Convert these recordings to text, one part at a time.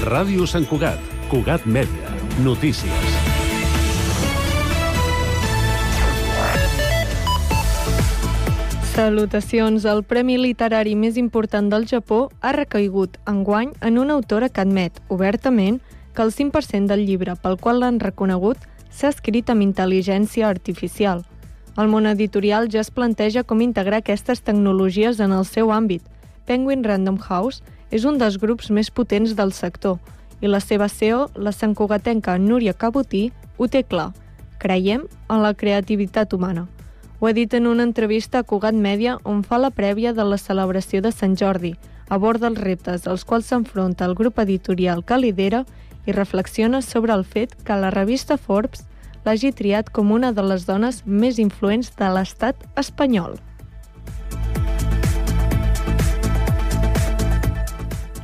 Ràdio Sant Cugat, Cugat Mèdia, notícies. Salutacions. El premi literari més important del Japó ha recaigut enguany en una autora que admet, obertament, que el 5% del llibre pel qual l'han reconegut s'ha escrit amb intel·ligència artificial. El món editorial ja es planteja com integrar aquestes tecnologies en el seu àmbit. Penguin Random House és un dels grups més potents del sector i la seva CEO, la santcugatenca Núria Cabotí, ho té clar. Creiem en la creativitat humana. Ho ha dit en una entrevista a Cugat Mèdia on fa la prèvia de la celebració de Sant Jordi, aborda els reptes als quals s'enfronta el grup editorial que lidera i reflexiona sobre el fet que la revista Forbes l'hagi triat com una de les dones més influents de l'estat espanyol.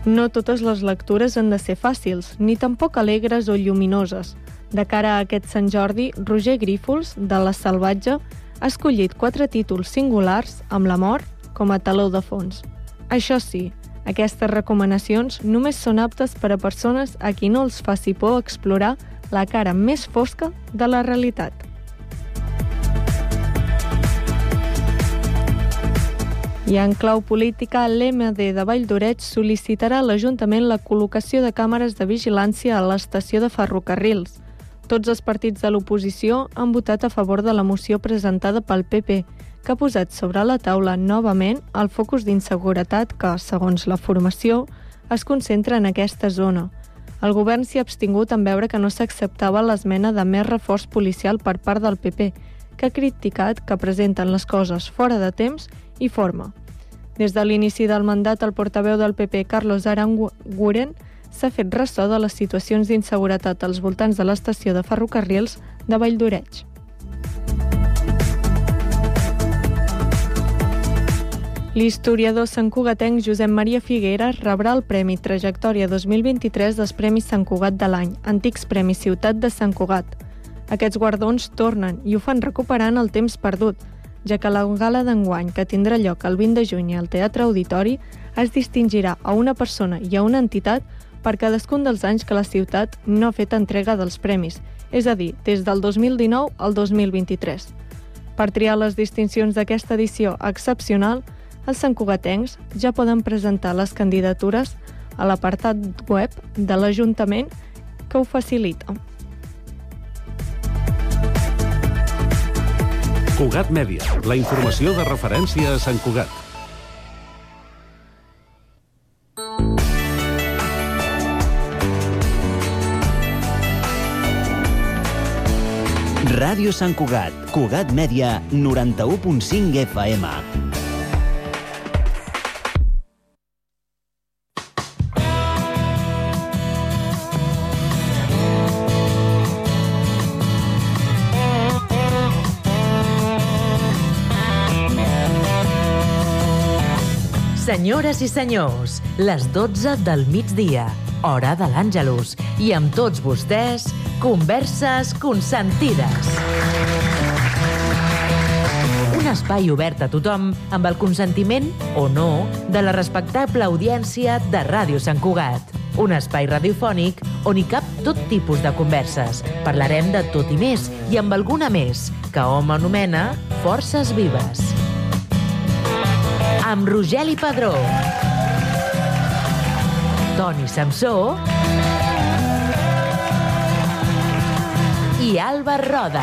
No totes les lectures han de ser fàcils, ni tampoc alegres o lluminoses. De cara a aquest Sant Jordi, Roger Grífols, de La Salvatge, ha escollit 4 títols singulars amb la mort com a teló de fons. Això sí, aquestes recomanacions només són aptes per a persones a qui no els faci por explorar la cara més fosca de la realitat. I en clau política, l'MD de Valldoreix sol·licitarà a l'Ajuntament la col·locació de càmeres de vigilància a l'estació de ferrocarrils. Tots els partits de l'oposició han votat a favor de la moció presentada pel PP, que ha posat sobre la taula novament el focus d'inseguretat que, segons la formació, es concentra en aquesta zona. El govern s'hi ha abstingut en veure que no s'acceptava l'esmena de més reforç policial per part del PP, que ha criticat que presenten les coses fora de temps i forma. Des de l'inici del mandat, el portaveu del PP, Carlos Aranguren, s'ha fet ressò de les situacions d'inseguretat als voltants de l'estació de ferrocarrils de Valldoreix. L'historiador santcugatenc Josep Maria Figueres rebrà el Premi Trajectòria 2023 dels Premis Sant Cugat de l'any, antics Premis Ciutat de Sant Cugat. Aquests guardons tornen i ho fan recuperant el temps perdut, ja que la gala d'enguany, que tindrà lloc el 20 de juny al Teatre Auditori, es distingirà a una persona i a una entitat per cadascun dels anys que la ciutat no ha fet entrega dels premis, és a dir, des del 2019 al 2023. Per triar les distincions d'aquesta edició excepcional, els santcugatencs ja poden presentar les candidatures a l'apartat web de l'Ajuntament que ho facilita. Cugat Mèdia, la informació de referència a Sant Cugat. Ràdio Sant Cugat, Cugat Mèdia, 91.5 FM. Senyores i senyors, les 12 del migdia, hora de l'Àngelus, i amb tots vostès, Converses Consentides. Un espai obert a tothom amb el consentiment, o no, de la respectable audiència de Ràdio Sant Cugat. Un espai radiofònic on hi cap tot tipus de converses. Parlarem de tot i més, i amb alguna més, que hom anomena Forces Vives. Amb Rogeli Padró, Toni Samsó i Alba Roda.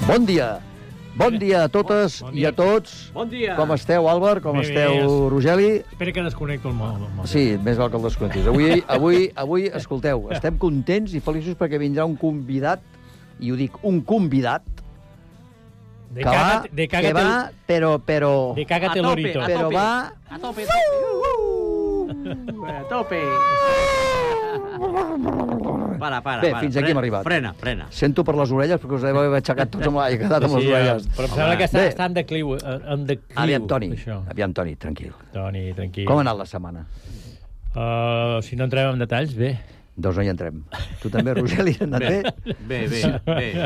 Bon dia. Bon dia a totes i a tots. Bon dia. Com esteu, Àlvar? Com esteu, Rogeli? Espera que desconnecto el mòbil. Sí, més val que el desconnectis. Avui, escolteu, estem contents i feliços perquè vindrà un convidat, i ho dic, un convidat, que va, però... De cágate lorito. Però va... A tope. A tope. Para. Bé, fins aquí hem arribat. Frena. Sento per les orelles, perquè us heu aixecat tots amb l'aire, quedat amb les orelles. Però em sembla que està en decliu. Aviam, Toni, tranquil. Toni, tranquil. Com ha anat la setmana? Si no entrem en detalls, bé. Doncs no hi entrem. Tu també, Roger, li has anat bé? Bé,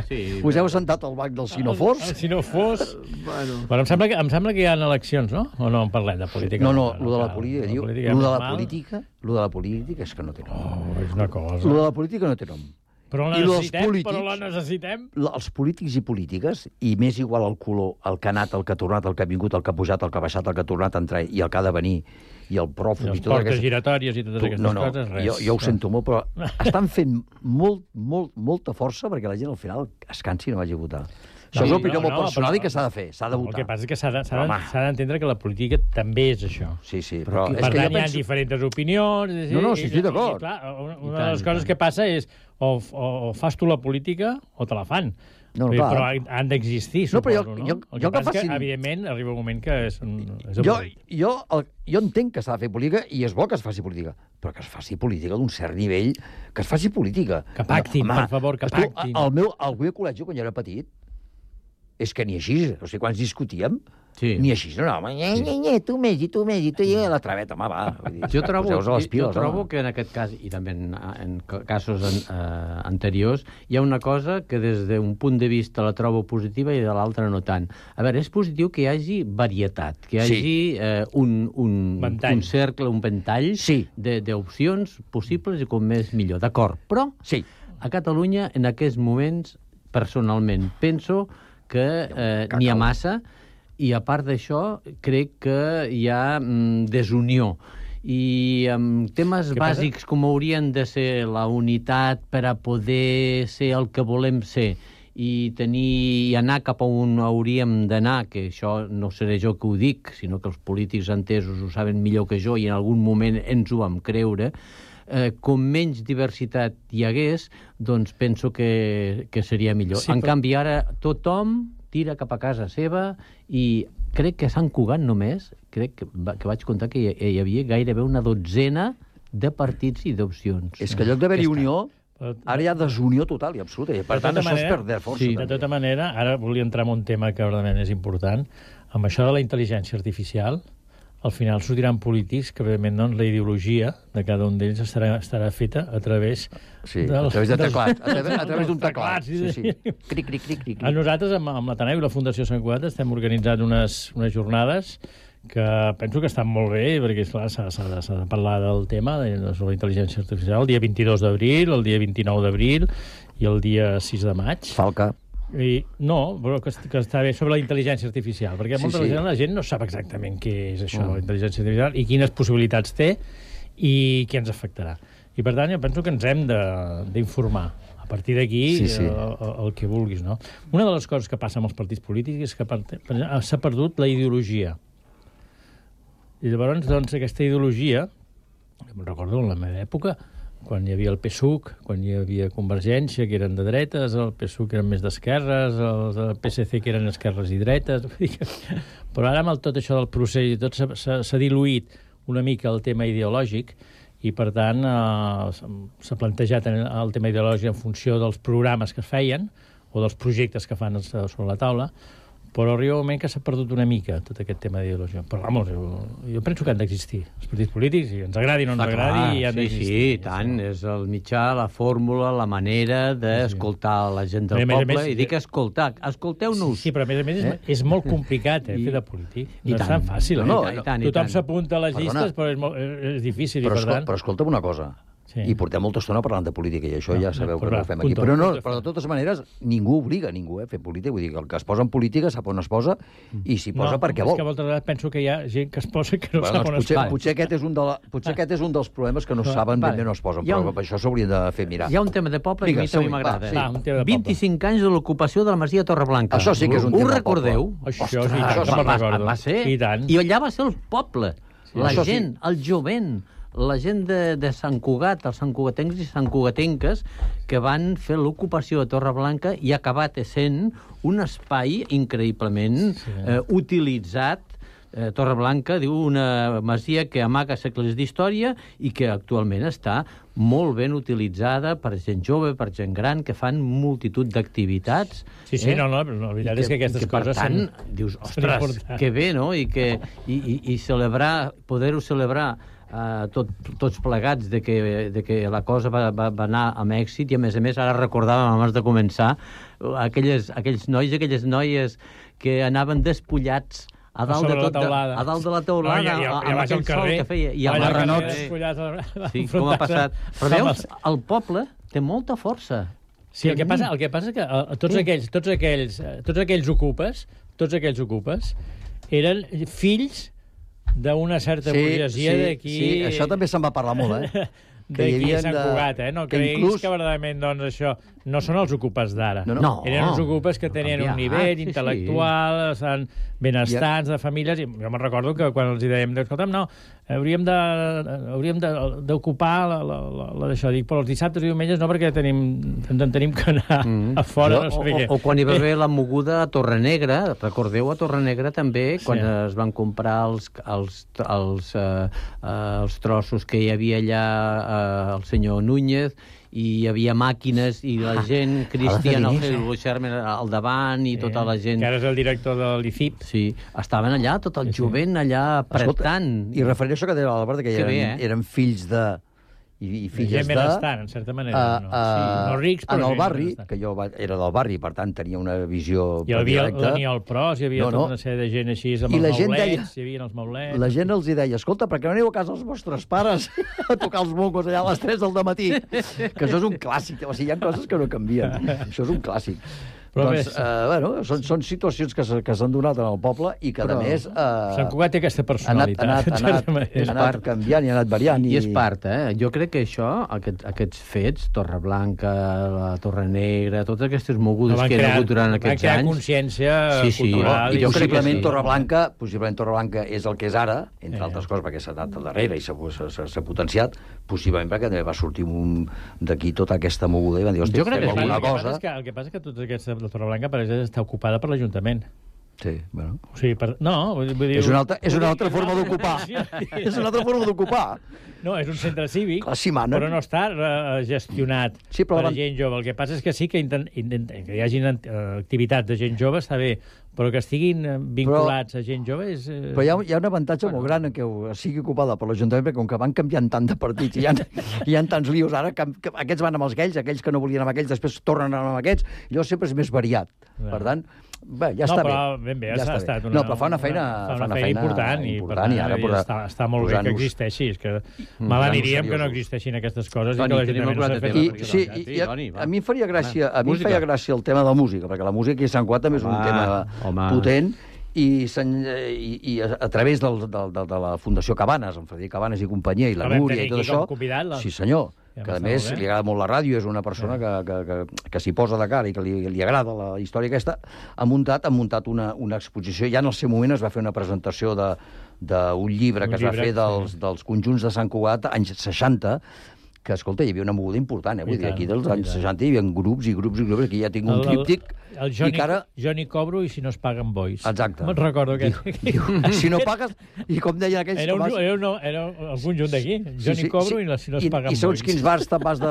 sí. Us heu sentat al banc dels sinofors? Si no fos... Bueno. Bueno, em sembla que hi ha eleccions, no? O no en parlem de política? No, lo de la política, diu. Lo de la política és que no té nom. Oh, és una cosa. Lo de la política no té nom. Però la necessitem, Els polítics i polítiques, i més igual el color, el que ha anat, el que ha tornat, el que ha vingut, el que ha pujat, el que ha baixat, el que ha tornat a entrar i el que ha de venir, i el pròfug... I els portes giratòries i totes aquestes coses, res. Jo ho sento molt, però estan fent molta força perquè la gent al final es cansi i no vagi a votar. Això és una opinió molt personal i que s'ha de fer, s'ha de votar. El que passa és que s'ha d'entendre que la política també és això. Sí, però... Per tant, hi ha diferents opinions... No, sí, estic d'acord. Una de les coses que passa és o fas tu la política o te la fan. Però han d'existir, suposo, no? El que passa és que, evidentment, arriba un moment que és jo entenc que s'ha de fer política i és bo que es faci política, però que es faci política d'un cert nivell, que es faci política. Que pactin, per favor, que pactin. Al meu col·legi, quan jo era petit, és que ni així, o sigui, quan ens discutíem, ni així, no, tu més, i la traveta, home, va. Jo trobo que en aquest cas, i també en casos anteriors, hi ha una cosa que des d'un punt de vista la trobo positiva i de l'altra no tant. A veure, és positiu que hi hagi varietat, que hi hagi un cercle, un ventall d'opcions possibles i com més millor. D'acord, però a Catalunya, en aquests moments, personalment, penso que n'hi ha massa, i a part d'això, crec que hi ha desunió. I amb temes bàsics com haurien de ser la unitat per a poder ser el que volem ser i anar cap a on hauríem d'anar, que això no seré jo que ho dic, sinó que els polítics entesos ho saben millor que jo i en algun moment ens ho vam creure, com menys diversitat hi hagués, doncs penso que seria millor. En canvi, ara tothom tira cap a casa seva i crec que a Sant Cugat només, crec que vaig comptar que hi havia gairebé una dotzena de partits i d'opcions. És que en lloc d'haver-hi unió, ara hi ha desunió total i absoluta. I per tant, això és perdre força. Sí, de tota manera, ara volia entrar en un tema que realment és important. Amb això de la intel·ligència artificial, al final sortiran polítics que, evidentment, la ideologia de cada un d'ells estarà feta a través a través de teclat, a través d'un teclat. Cric. Nosaltres, amb l'Ateneu i la Fundació Sant Cugat, estem organitzant unes jornades que penso que estan molt bé, perquè, esclar, s'ha de parlar del tema de la intel·ligència artificial el dia 22 d'abril, el dia 29 d'abril i el dia 6 de maig. Falca. No, però que està bé sobre la intel·ligència artificial, perquè molta la gent no sap exactament què és això, la intel·ligència artificial, i quines possibilitats té i què ens afectarà. I per tant, jo penso que ens hem d'informar. A partir d'aquí, el que vulguis, no? Una de les coses que passa amb els partits polítics és que s'ha perdut la ideologia. I llavors, doncs, aquesta ideologia, me'n recordo en la meva època, quan hi havia el PSUC, quan hi havia Convergència, que eren de dretes, el PSUC eren més d'esquerres, el PSC, que eren esquerres i dretes... Però ara, amb tot això del procés i tot, s'ha diluït una mica el tema ideològic i, per tant, s'ha plantejat el tema ideològic en funció dels programes que es feien o dels projectes que fan sobre la taula, però arriba un moment que s'ha perdut una mica tot aquest tema d'ideologia. Però, vamos, jo penso que han d'existir els partits polítics, i ens agradi o no ens agradi, han d'existir. Sí, tant. És el mitjà, la fórmula, la manera d'escoltar la gent del poble. I dic escoltar. Escolteu-nos. Sí, però a més és molt complicat fer de polític. No és tan fàcil. Tothom s'apunta a les llistes, però és difícil. Però escolta'm una cosa. I portem molta estona parlant de política, i això ja sabeu que no ho fem aquí. Però de totes maneres, ningú obliga ningú a fer política. Vull dir que el que es posa en política sap on es posa i s'hi posa perquè vol. És que moltes vegades penso que hi ha gent que es posa que no sap on es posa. Potser aquest és un dels problemes que no saben ben bé on es posen, però per això s'haurien de fer mirar. Hi ha un tema de poble que a mi també m'agrada. 25 anys de l'ocupació de la Masia Torreblanca. Això sí que és un tema de poble. Ho recordeu? Això va ser. I allà va ser el poble, la gent, el jovent, la gent de Sant Cugat, els santcugatencs i santcugatenques, que van fer l'ocupació de Torreblanca i ha acabat sent un espai increïblement utilitzat. Torreblanca, diu, una masia que amaga segles d'història i que actualment està molt ben utilitzada per gent jove, per gent gran, que fan multitud d'activitats. Sí, no, la veritat és que aquestes coses són... Per tant, dius, ostres, que bé, no? I celebrar, poder-ho celebrar tots plegats de que la cosa va anar amb èxit, i a més, ara recordàvem abans de començar aquells nois i aquelles noies que anaven despullats a dalt de la teulada, amb aquell sol que feia, i amb marranots. Sí, com ha passat. Però veus, el poble té molta força. Sí, el que passa és que tots aquells ocupes eren fills d'una certa burgesia d'aquí... Sí, això també se'n va parlar molt, d'aquí a Sant Cugat, No creguis que verdaderament, doncs, això no són els ocupes d'ara. No. Eren els ocupes que tenien un nivell intel·lectual, benestants, de famílies, i jo me'n recordo que quan els dèiem, escolta'm, no, hauríem d'ocupar d'això. Dic, però els dissabtes i diumenges no, perquè en tenim que anar a fora, no sé què. O quan hi va haver la moguda a Torrenegra, recordeu a Torrenegra també, quan es van comprar els trossos que hi havia allà el senyor Núñez, i hi havia màquines, i la gent, Cristian Schermer al davant, i tota la gent... Que ara és el director de l'ICIP. Sí, estaven allà, tot el jovent allà apretant. I referent a això que deia l'Albert, que eren fills de... i filles de... benestant, en certa manera. No rics, però... En el barri, que jo era del barri, per tant tenia una visió... Hi havia l'Aniol Pros, hi havia tota una sèrie de gent així, amb els maulets, hi havia els maulets... La gent els deia, escolta, per què no aneu a casa dels vostres pares a tocar els mongos allà a les 3 del matí? Que això és un clàssic, o sigui, hi ha coses que no canvien. Això és un clàssic. Doncs, són situacions que s'han donat en el poble i que, a més... Sant Cugat té aquesta personalitat. Ha anat canviant i ha anat variant. I és part, Jo crec que això, aquests fets, Torreblanca, la Torrenegra, totes aquestes mogudes que hi ha hagut durant aquests anys... Va crear consciència cultural. I possiblement Torreblanca és el que és ara, entre altres coses, perquè s'ha anat al darrere i s'ha potenciat, possiblement perquè també va sortir d'aquí tota aquesta moguda i van dir, hòstia, fem alguna cosa... El que passa és que tota aquesta la Torreblanca, per exemple, està ocupada per l'Ajuntament. Sí, bueno. O sigui, vull dir... És una altra forma d'ocupar. És una altra forma d'ocupar. No, és un centre cívic, però no està gestionat per gent jove. El que passa és que sí que hi hagin activitats de gent jove, està bé, però que estiguin vinculats a gent jove és... Però hi ha un avantatge molt gran en que sigui ocupada per l'Ajuntament, perquè com que van canviant tant de partits i hi ha tants lios ara, que aquests van amb els aquells que no volien amb aquells, després tornen amb aquests, llavors sempre és més variat. Per tant, bé, ja està bé. No, però ben bé, ha estat una... No, però fa una feina important, i per tant està molt bé que existeixi. És que mal aniríem que no existeixin aquestes coses i que l'Ajuntament no s'ha fet. Sí, a mi em feia gràcia el tema de la música, perquè la música aquí a Sant Cugat també és un tema potent, i a través de la Fundació Cabanes, amb Frederic Cabanes i companyia, i la Núria i tot això... Sí, senyor. Que a més li agrada molt la ràdio, és una persona que s'hi posa de cara i que li agrada la història aquesta, ha muntat una exposició. Ja en el seu moment es va fer una presentació d'un llibre que es va fer dels conjunts de Sant Cugat, anys 60, que, escolta, hi havia una moguda important, Vull dir, aquí dels anys 60 hi havia grups i grups, aquí ja tinc un tríptic... El jo n'hi cobro i si no es paguen bois. Exacte. Me'n recordo que... Si no pagues... I com deien aquells... Era el conjunt d'aquí. Jo n'hi cobro i si no es paguen bois. I segons quins bars te'n vas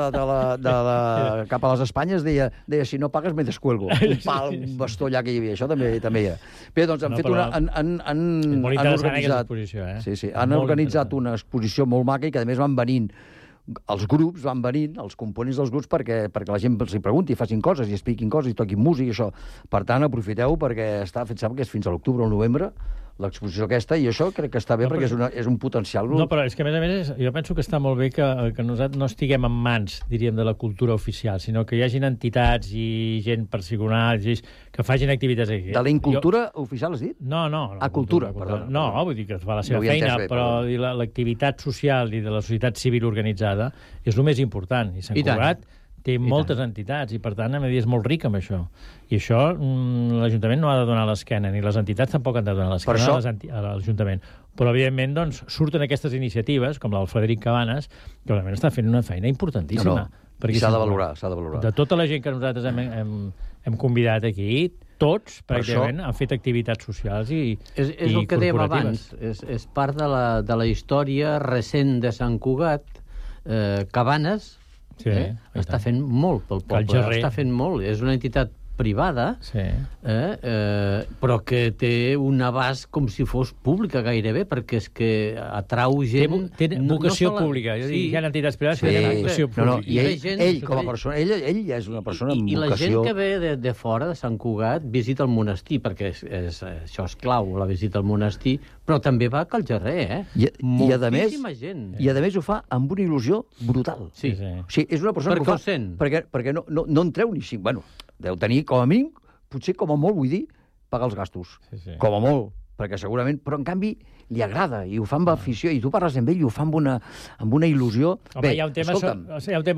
cap a les Espanyes, deia, si no pagues me descuelgo. Un pal, un bastó allà que hi havia. Això també hi ha. Bé, doncs han fet una... Molt interessant aquesta exposició, Sí, han organitzat una exposició molt maca i que, a més, van venint els grups, van venint, els components dels grups, perquè la gent els hi pregunti, facin coses i expliquin coses i toquin música i això. Per tant, aprofiteu, perquè està fet, sembla que és fins a l'octubre o el novembre, l'exposició aquesta, i això crec que està bé perquè és un potencial. No, però és que, a més, jo penso que està molt bé que nosaltres no estiguem en mans, diríem, de la cultura oficial, sinó que hi hagin entitats i gent particular que facin activitats aquí. De la incultura oficial, has dit? No. A cultura, perdó. No, vull dir que fa la seva feina, però l'activitat social i de la societat civil organitzada és el més important. I Sant Cugat té moltes entitats i, per tant, a mi és molt ric amb això. I això l'Ajuntament no ha de donar l'esquena, ni les entitats tampoc han de donar l'esquena a l'Ajuntament. Però, evidentment, doncs, surten aquestes iniciatives, com la del Frederic Cabanes, que realment està fent una feina importantíssima. I s'ha de valorar, De tota la gent que nosaltres hem convidat aquí, tots, pràcticament, han fet activitats socials i és el que dèiem abans, és part de la història recent de Sant Cugat. Cabanes està fent molt pel poble, està fent molt. És una entitat privada, però que té un abast com si fos pública gairebé, perquè és que atrau gent... Té vocació pública. Hi ha entitats privades que tenen vocació pública. I ell, com a persona, ell ja és una persona amb vocació... I la gent que ve de fora, de Sant Cugat, visita el monestir, perquè això és clau, la visita al monestir, però també va a Cal Jarrer, moltíssima gent. I a més ho fa amb una il·lusió brutal. Sí. O sigui, és una persona que ho fa... Perquè no en treu ni 5... Bueno, deu tenir, com a mínim, potser com a molt, vull dir, pagar els gastos. Com a molt, perquè segurament... Però, en canvi, li agrada, i ho fa amb afició, i tu parles amb ell i ho fa amb una il·lusió... Home, hi ha un tema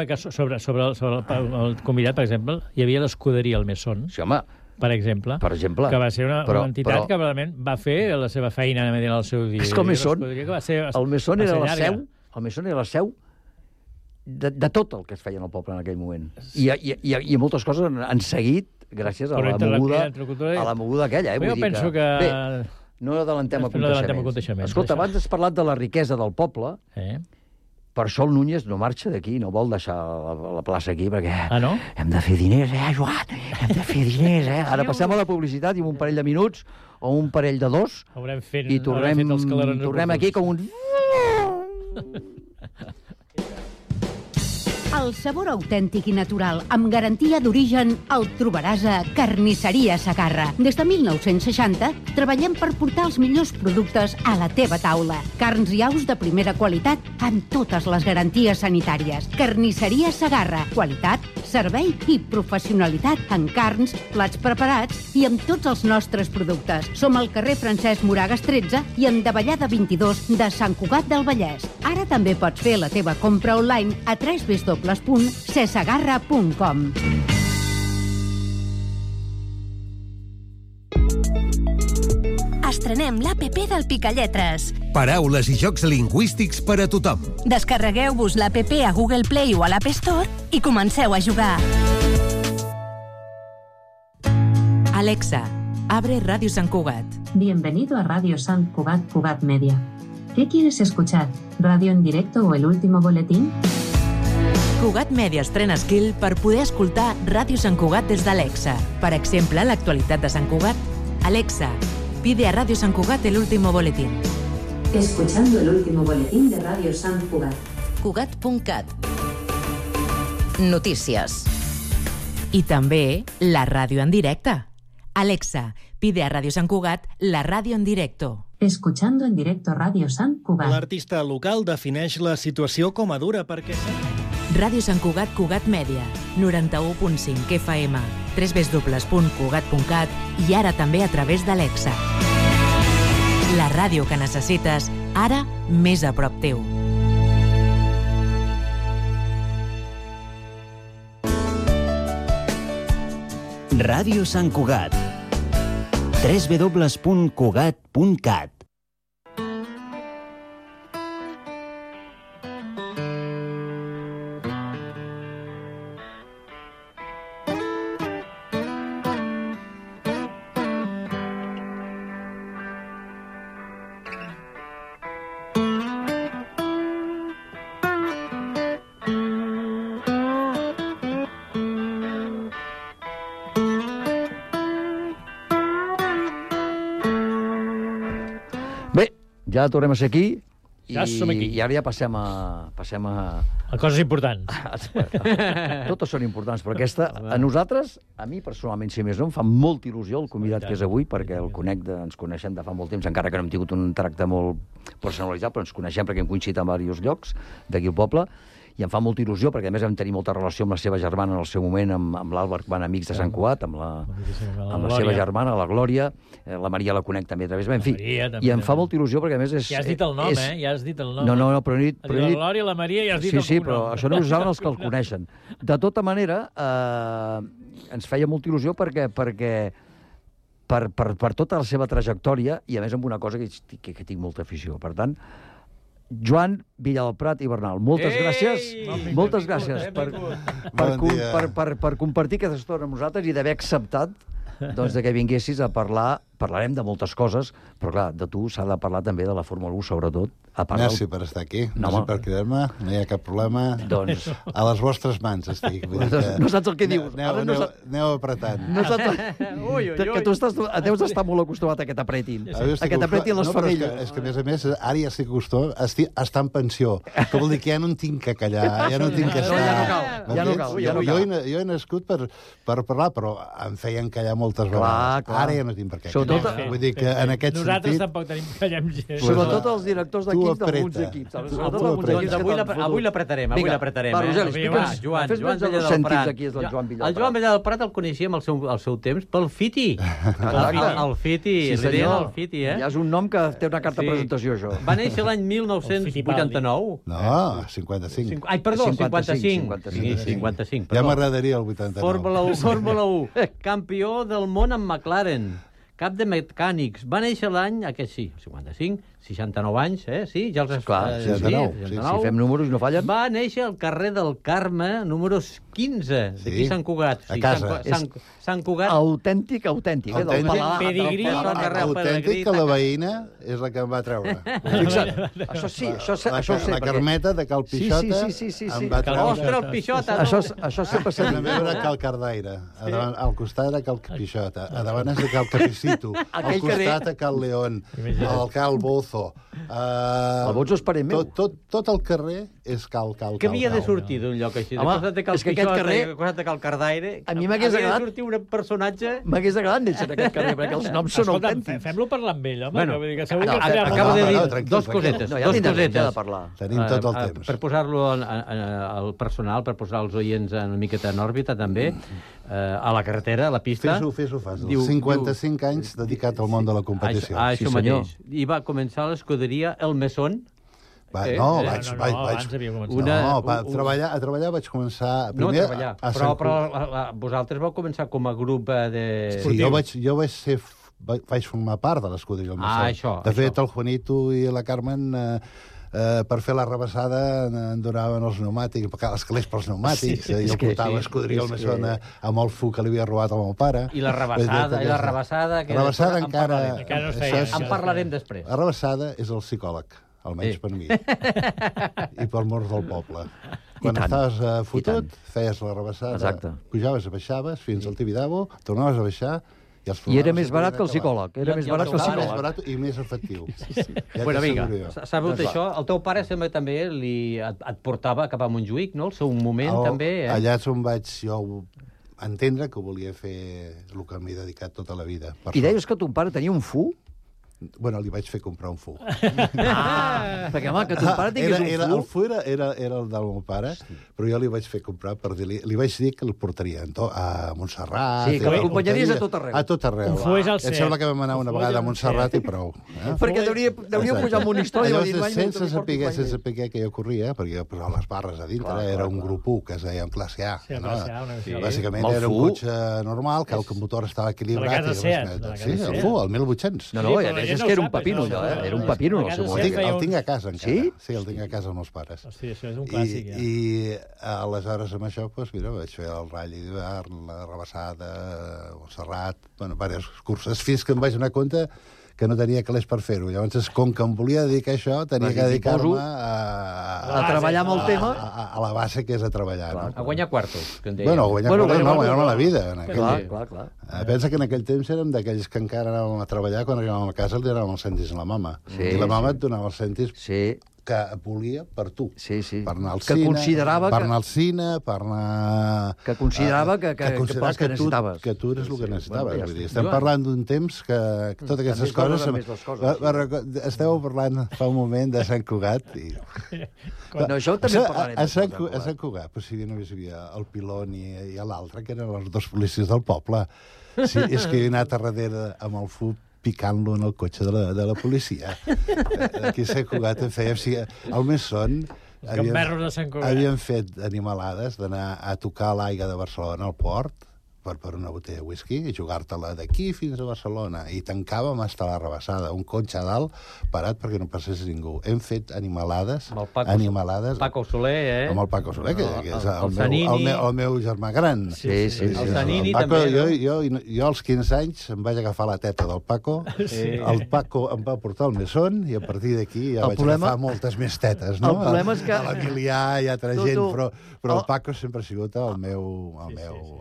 que sobre el convidat, per exemple, hi havia l'Escuderia al Mesón. Sí, home. Per exemple, que va ser una entitat que realment va fer la seva feina en el seu dia. És que el Mesón era la seu... El Mesón era la seu de tot el que es feia en el poble en aquell moment. I moltes coses han seguit gràcies a la moguda aquella. Jo penso que... Bé, no adelantem aconteixements. Escolta, abans has parlat de la riquesa del poble. Per això el Núñez no marxa d'aquí, no vol deixar la plaça aquí, perquè hem de fer diners, Joan? Hem de fer diners, Ara passem a la publicitat i un parell de minuts, o un parell de dos, i tornem aquí com un... El sabor autèntic i natural, amb garantia d'origen, el trobaràs a Carnisseria Segarra. Des de 1960 treballem per portar els millors productes a la teva taula. Carns i aus de primera qualitat amb totes les garanties sanitàries. Carnisseria Segarra. Qualitat, servei i professionalitat en carns, plats preparats i amb tots els nostres productes. Som al carrer Francesc Moragas 13 i en Davallada 22 de Sant Cugat del Vallès. Ara també pots fer la teva compra online a www.cesegarra.com. Estrenem l'APP del Picalletres. Paraules i jocs lingüístics per a tothom. Descarregueu-vos l'APP a Google Play o a l'App Store i comenceu a jugar. Alexa, abre Radio Sant Cugat. Bienvenido a Radio Sant Cugat, Cugat Media. ¿Qué quieres escuchar? ¿Radio en directo o el último boletín? Cugat Media estrena skill per poder escoltar Ràdio Sant Cugat des d'Alexa. Per exemple, l'actualitat de Sant Cugat. Alexa, pide a Radio Sant Cugat el último boletín. Escuchando el último boletín de Radio Sant Cugat. Cugat.cat. Notícies. I també la ràdio en directe. Alexa, pide a Radio Sant Cugat la ràdio en directo. Escuchando en directo Radio Sant Cugat. L'artista local defineix la situació com a dura perquè... Ràdio Sant Cugat, Cugat Mèdia, 91.5 FM, www.cugat.cat i ara també a través d'Alexa. La ràdio que necessites, ara més a prop teu. Ràdio Sant Cugat. www.cugat.cat. Ja tornem a ser aquí Ja som aquí. I ara ja passem a coses importants. Totes són importants, però aquesta, a nosaltres, a mi personalment, si més no, em fa molta il·lusió el convidat que és avui, perquè el conec, ens coneixem de fa molt temps, encara que no hem tingut un tracte molt personalitzat, però ens coneixem perquè hem coincidit en diversos llocs d'aquí al poble, i em fa molta il·lusió, perquè a més vam tenir molta relació amb la seva germana en el seu moment, amb l'Àlvar, van amics de Sant Cugat, amb la seva germana, la Glòria, la Maria la conec també a través, en fi, i em fa molta il·lusió perquè a més és... Ja has dit el nom, ja has dit el nom. No, però he dit... La Glòria, la Maria, ja has dit el cognom. Sí, però això no ho saben els que el coneixen. De tota manera, ens feia molta il·lusió perquè per tota la seva trajectòria, i a més amb una cosa que tinc molta afició. Per tant, Joan Villalprat i Bernal, moltes gràcies. Moltes gràcies per compartir aquesta estona amb nosaltres i d'haver acceptat que vinguessis a parlar parlarem de moltes coses, però clar, de tu s'ha de parlar també de la Fórmula 1, sobretot. Merci per estar aquí, merci per cridar-me, no hi ha cap problema. Doncs... A les vostres mans estic. No saps el que dius. Aneu apretant. No saps... Que tu deus estar molt acostumat a que t'apretin. A que t'apretin les femelles. És que, a més, ara ja estic acostumat a estar en pensió. Que vol dir que ja no en tinc que callar, ja no tinc que estar... Ja no cal. Jo he nascut per parlar, però em feien callar moltes vegades. Ara ja no tinc per què callar. Vull dir que en aquest sentit... Nosaltres tampoc tenim callem gent. Sobretot els directors d'equips d'alguns equips. Avui l'apretarem, Va, Rogeli, explica'ns. Joan Vella del Prat. El Joan Vella del Prat el coneixíem al seu temps pel Fiti. El Fiti, el Fiti, Ja és un nom que té una carta de presentació, això. Va néixer l'any 1989. No, 55. Ai, perdó, 55. 55, ja m'agradaria el 89. Fórmula 1. Campió del món amb McLaren. Cap de mecànics. Va néixer l'any, aquest sí, 55, 69 anys, sí? Ja els... Clar, 69. Si fem números no fallen. Va néixer al carrer del Carme, números 15, d'aquí Sant Cugat. A casa. Sant Cugat. Autèntic. Pedigrí. Autèntic que la veïna és la que em va treure. Això sí, això ho sé. La Carmeta de Cal Pixota em va treure. Ostres, el Pixota. Això sempre s'ha dit. La meva era Cal Cardaire. Al costat era Cal Pixota. A davant és de Cal Capicito. Al costat a Cal León. Al Cal Bozo. El Bozo és parent meu. Tot el carrer és Cal. Que havia de sortir d'un lloc així. Home, és que aquest carrer... Costat de Cal Cardaire. A mi m'hagués agradat... Havia de sortir un personatge... M'hagués agradat néixer en aquest carrer, perquè els noms són autèntics. Fem-lo parlar amb ell, home. Acabo de dir dos cosetes. Tenim tot el temps. Per posar-lo al personal, per posar els oients una miqueta en òrbita, també, a la carretera, a la pista... Fes-ho fàcil. 55 anys dedicat al món de la competició. Això mateix. I va començar l'escuderia El Mesón. A treballar vaig començar... No a treballar, però vosaltres vau començar com a grup de... Sí, jo vaig formar part de l'escuderia El Mesón. De fet, el Juanito i la Carmen... per fer la rebassada en donaven els pneumàtics, els calés pels pneumàtics, i el portava a escodrir el Mesón amb el fu que li havia robat al meu pare. I la rebassada... La rebassada encara... En parlarem després. La rebassada és el psicòleg, almenys per mi, i pel mort del poble. Quan estaves fotut, feies la rebassada, pujaves, baixaves, fins al Tibidabo, tornaves a baixar, i era més barat que el psicòleg. Era més barat que el psicòleg. Més barat i més efectiu. Bueno, vinga, sabut això, el teu pare sembla també et portava cap a Montjuïc, no? El seu moment també. Allà és on vaig jo entendre que volia fer el que m'he dedicat tota la vida. I deies que ton pare tenia un fu? Bueno, li vaig fer comprar un fu. Perquè, home, que ton pare tingués un fu... El fu era el del meu pare, però jo li vaig fer comprar per dir-li... Li vaig dir que el portaria a Montserrat... Sí, que l'acompanyaries a tot arreu. A tot arreu. Un fu és el cert. Em sembla que vam anar una vegada a Montserrat i prou. Perquè deuria pujar amb una història... Sense saber que jo corria, perquè jo posava les barres a dintre, era un grup 1 que es deia en classe A. Bàsicament era un cotxe normal, que el motor estava equilibrat. Sí, el fu, el 1800. No, és que era un pepino, allò, Era un pepino, no sé. El tinc a casa, encara. Sí, el tinc a casa amb els pares. Hòstia, això és un clàssic, ja. I aleshores amb això, doncs, mira, vaig fer el ratll d'hivern, la rebassada, el Serrat, bueno, diverses curses, fins que em vaig donar compte que no tenia calés per fer-ho. Llavors, com que em volia dedicar a això, tenia que dedicar-me a treballar amb el tema. A la base, que és a treballar. A guanyar quartos, que en deia. Bueno, a guanyar quartos no, guanyar-me la vida. Clar. Pensa que en aquell temps érem d'aquells que encara anàvem a treballar, quan arribàvem a casa li donàvem els cèntims a la mama. I la mama et donava els cèntims que volia per tu. Per anar al cine, per anar al cine, per anar... Que considerava que necessitaves. Que tu eres el que necessitaves. Vull dir, estem parlant d'un temps que totes aquestes coses... Esteu parlant fa un moment de Sant Cugat i... No, això també parlarem. A Sant Cugat, però si només hi havia el Pilon i l'altre, que eren els dos policies del poble. És que he anat a darrere amb el FUP picant-lo en el cotxe de la policia. Aquí a Sant Cugat en fèiem... El Mesón havien fet animalades d'anar a tocar l'aigua de Barcelona al port, per una botella de whisky i jugar-te-la d'aquí fins a Barcelona. I tancàvem hasta la Rabassada, un cotxe a dalt parat perquè no passés ningú. Hem fet animalades. Paco Soler, Amb el Paco Soler, que és el meu germà gran. Sí. El Zanini també. Jo als 15 anys em vaig agafar la teta del Paco, el Paco em va portar al Mesón i a partir d'aquí ja vaig agafar moltes més tetes, no? El problema és que... A l'Emilià i altra gent, però el Paco sempre ha sigut el meu...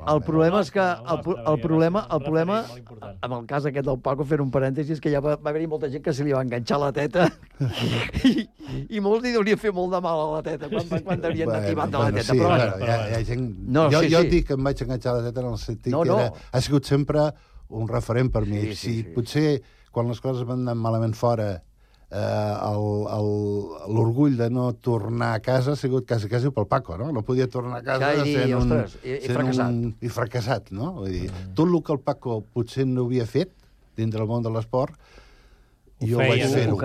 El problema és que el problema amb el cas aquest del Paco, fer un parèntesi, és que ja va haver-hi molta gent que se li va enganxar la teta i molts li deurien fer molt de mal a la teta quan deurien anar tibant de la teta. Sí, hi ha gent... Jo dic que em vaig enganxar la teta en el sentit que ha sigut sempre un referent per mi. Potser quan les coses van anar malament fora l'orgull de no tornar a casa ha sigut quasi pel Paco, no? No podia tornar a casa sent fracassat, no? Vull dir, tot el que el Paco potser no havia fet dintre del món de l'esport, jo vaig fer-ho.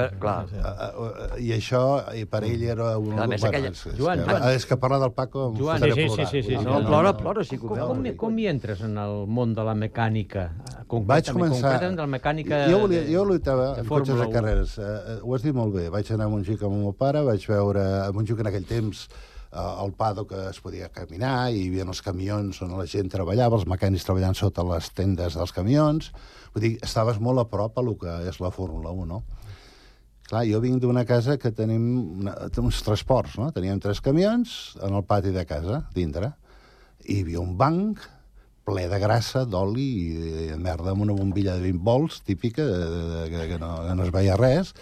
I això, per ell era un... És que parlar del Paco em farà plorar. Plora, sí que ho veu. Com hi entres en el món de la mecànica? Vaig començar... de la mecànica... Jo lluitava en cotxes de carreres. Ho has dit molt bé. Vaig anar a Montjuïc amb el meu pare, vaig veure a Montjuïc en aquell temps al Pado que es podia caminar, i hi havia els camions on la gent treballava, els mecànics treballant sota les tendes dels camions. Vull dir, estaves molt a prop a el que és la Fórmula 1, no? Clar, jo vinc d'una casa que tenim uns transports, no? Teníem 3 camions en el pati de casa, dintre, i hi havia un banc ple de grassa, d'oli i de merda, amb una bombilla de 20 volts, típica, que no es veia res,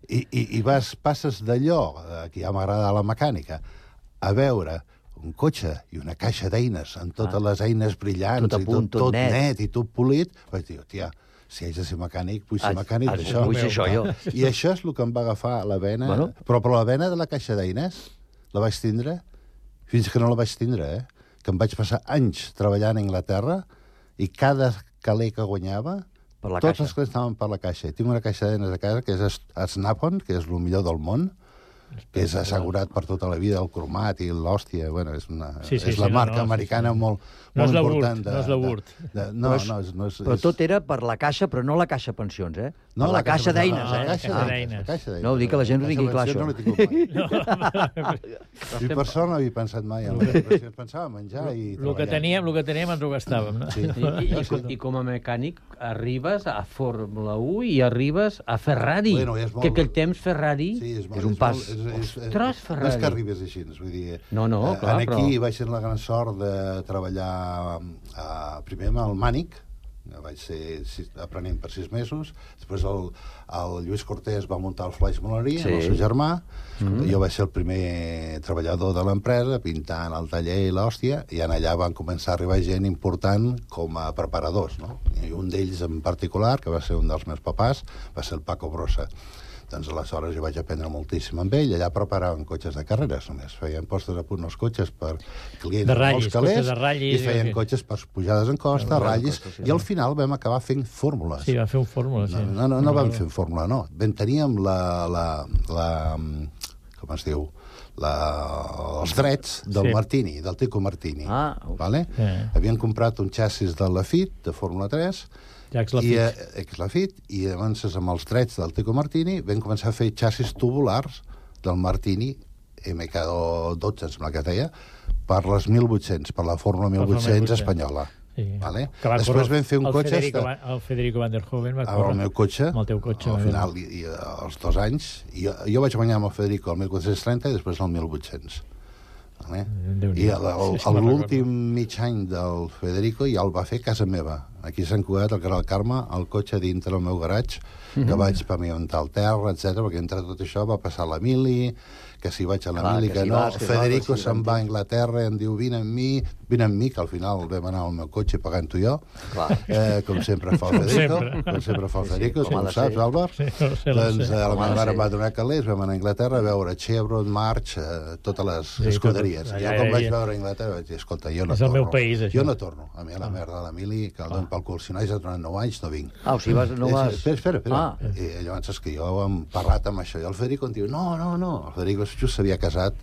i passes d'allò, que ja m'agrada la mecànica, a veure un cotxe i una caixa d'eines amb totes les eines brillants i tot net i tot polit, vaig dir, tia, si haig de ser mecànic, vull ser mecànic d'això. Vull ser això, jo. I això és el que em va agafar la vena, però la vena de la caixa d'eines la vaig tindre fins que no la vaig tindre, que em vaig passar anys treballant a Anglaterra i cada caler que guanyava, tots els calés estaven per la caixa. Tinc una caixa d'eines a casa que és Snap-on, que és el millor del món, que és assegurat per tota la vida, el cromat i l'hòstia, bueno, és la marca americana molt important. No és la Wurt. No, però tot era per la caixa, però no la caixa pensions, eh? No, la caixa d'eines, eh? La caixa d'eines. No, dic que la gent ho tingui clar, això. No l'he tingut mai. I per sort no havia pensat mai en la pensava menjar i treballar. El que teníem ens ho gastàvem, no? I com a mecànic arribes a Fórmula 1 i arribes a Ferrari, que aquell temps Ferrari és un pas. Ostres, Ferrari. No és que arribes així, vull dir... No, clar, però... Aquí vaig tenir la gran sort de treballar primer amb el Mànic, vaig ser aprenent per 6 mesos, després el Lluís Cortés va muntar el Flaix Molerí, el seu germà, jo vaig ser el primer treballador de l'empresa, pintant el taller i l'hòstia, i allà van començar a arribar gent important com a preparadors, no? I un d'ells en particular, que va ser un dels meus papàs, va ser el Paco Brossa. Doncs aleshores jo vaig aprendre moltíssim amb ell. Allà preparaven cotxes de carreres, només feien postes a punt els cotxes per clients de ratllis, molts calés, i feien cotxes per pujades en costa, ratllis, i al final vam acabar fent fórmules. Sí, vam fer un fórmula, sí. No vam fer fórmula, no. Teníem com es diu? Els drets del Martini, del Tico Martini. Havien comprat un xassis de Lafitte, de Fórmula 3, i llavors amb els drets del Tico Martini vam començar a fer xassis tubulars del Martini MK12, em sembla que es deia, per les 1800, per la Fórmula 1800 espanyola. Després vam fer un cotxe... El Federico Van der Hoeven va córrer. El meu cotxe, amb el teu cotxe. Al final, als 2 anys, jo vaig guanyar amb el Federico el 1430 i després el 1800. I l'últim mig any del Federico ja el va fer a casa meva, aquí a Sant Cugat, al carrer del Carme, el cotxe dintre del meu garatge, que vaig pavimentar el terra, etc, perquè entre tot això va passar l'Emili, que si vaig a l'Emili, que no, Federico se'n va a Anglaterra i em diu vine amb mi, que al final vam anar al meu cotxe pagant-ho jo, com sempre fa el Federico, tu ho saps, Álvar? Doncs la meva mare em va donar calés, vam anar a Anglaterra a veure Chevron, March, totes les escuderies. I ja quan vaig veure a Anglaterra vaig dir, escolta, jo no torno. És el meu país, això. Jo no torno. A mi a la merda de l'Emili, que el don calculo, si no has durant 9 anys, no vinc. O sigui, no vas... Espera. I llavors és que jo hem parlat amb això, i el Federico em diu, no. El Federico just s'havia casat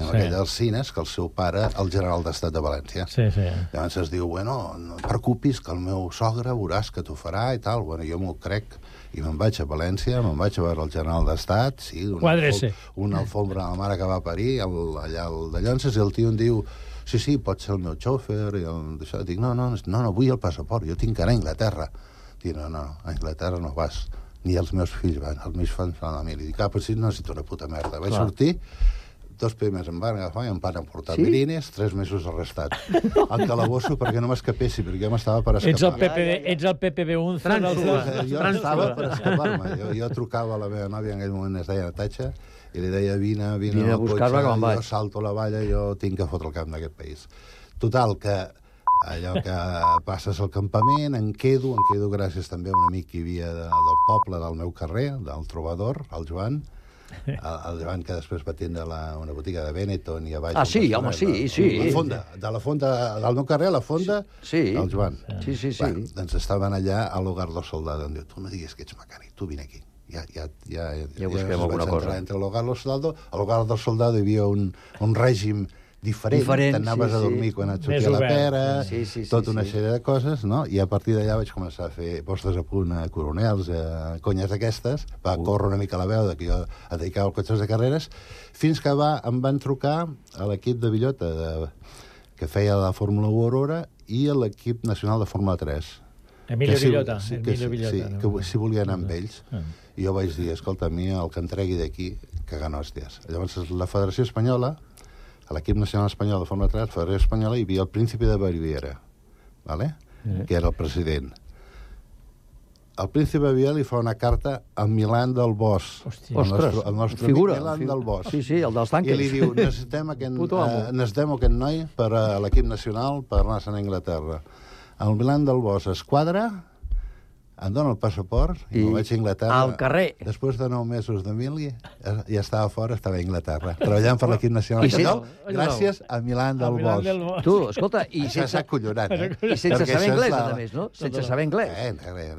amb aquell Alsines, que el seu pare, el general d'Estat de València. Sí. Llavors es diu, bueno, no et preocupis, que el meu sogre veuràs que t'ho farà i tal. Bueno, jo m'ho crec, i me'n vaig a València, me'n vaig a veure el general d'Estat, sí, una alfombra a la mare que va parir, allà al de Llonses, i el tio em diu, sí, pot ser el meu xòfer, i això. Dic, no, vull el passaport, jo tinc que anar a Anglaterra. Dic, no, a Anglaterra no vas, ni els meus fills van, els meus fills van a la mili. Dic, però si no necessito una puta merda. Vaig sortir, 2 primers em van agafar i em van emportar mirines, 3 mesos arrestat. Al calabosso perquè no m'escapessi, perquè jo m'estava per escapar. Ets el PPB Unza. Jo estava per escapar-me. Jo trucava a la meva nòvia, en aquell moment es deia Natatxa, i li deia, vine a buscar-me que me'n vaig. Jo salto la valla, jo tinc que fotre el camp d'aquest país. Total, que allò que passes al campament, em quedo gràcies també a un amic que hi havia del poble, del meu carrer, del trobador, el Joan, el Joan que després va tindre una botiga de Benetton i a baix... sí. De la fonda, del meu carrer, a la fonda, el Joan. Sí. Doncs estaven allà a l'Hogar del Soldado. Em diu, tu no diguis que ets mecànic, tu vine aquí. Ja busquem alguna cosa. Entre l'Hogar del Soldado, a l'Hogar del Soldado hi havia un règim diferent, t'anaves a dormir quan et sortia la pera, tota una sèrie de coses, no? I a partir d'allà vaig començar a fer postes a punt a coronels, a conyes d'aquestes, va córrer una mica la veu que jo et dedicava als cotxes de carreres, fins que em van trucar a l'equip de Villota, que feia la Fórmula 1 Aurora, i a l'equip nacional de Fórmula 3. Emilio Villota. Sí, que si volia anar amb ells. I jo vaig dir, escolta, a mi el que em tregui d'aquí, cagant hòsties. Llavors, la Federació Espanyola, a l'equip nacional espanyol de Fórmula 3, la Federació Espanyola, hi havia el príncipe de Baviera, que era el president. El príncipe de Baviera li fa una carta a Milan del Bosch, el nostre figura, Milan del Bosch. Sí, el dels tanques. I li diu, necessitem aquest noi per a l'equip nacional per anar-se'n a Anglaterra. El Milan del Bosch es quadra, em dona el passaport i me'n vaig a Anglaterra. Al carrer. Després de 9 mesos de mili, ja estava fora, estava a Anglaterra, treballant per l'equip nacional espanyol, gràcies a Milan del Bosch. Tu, escolta, i s'ha acollonat, I sense saber anglès, a més, no? Sense saber anglès.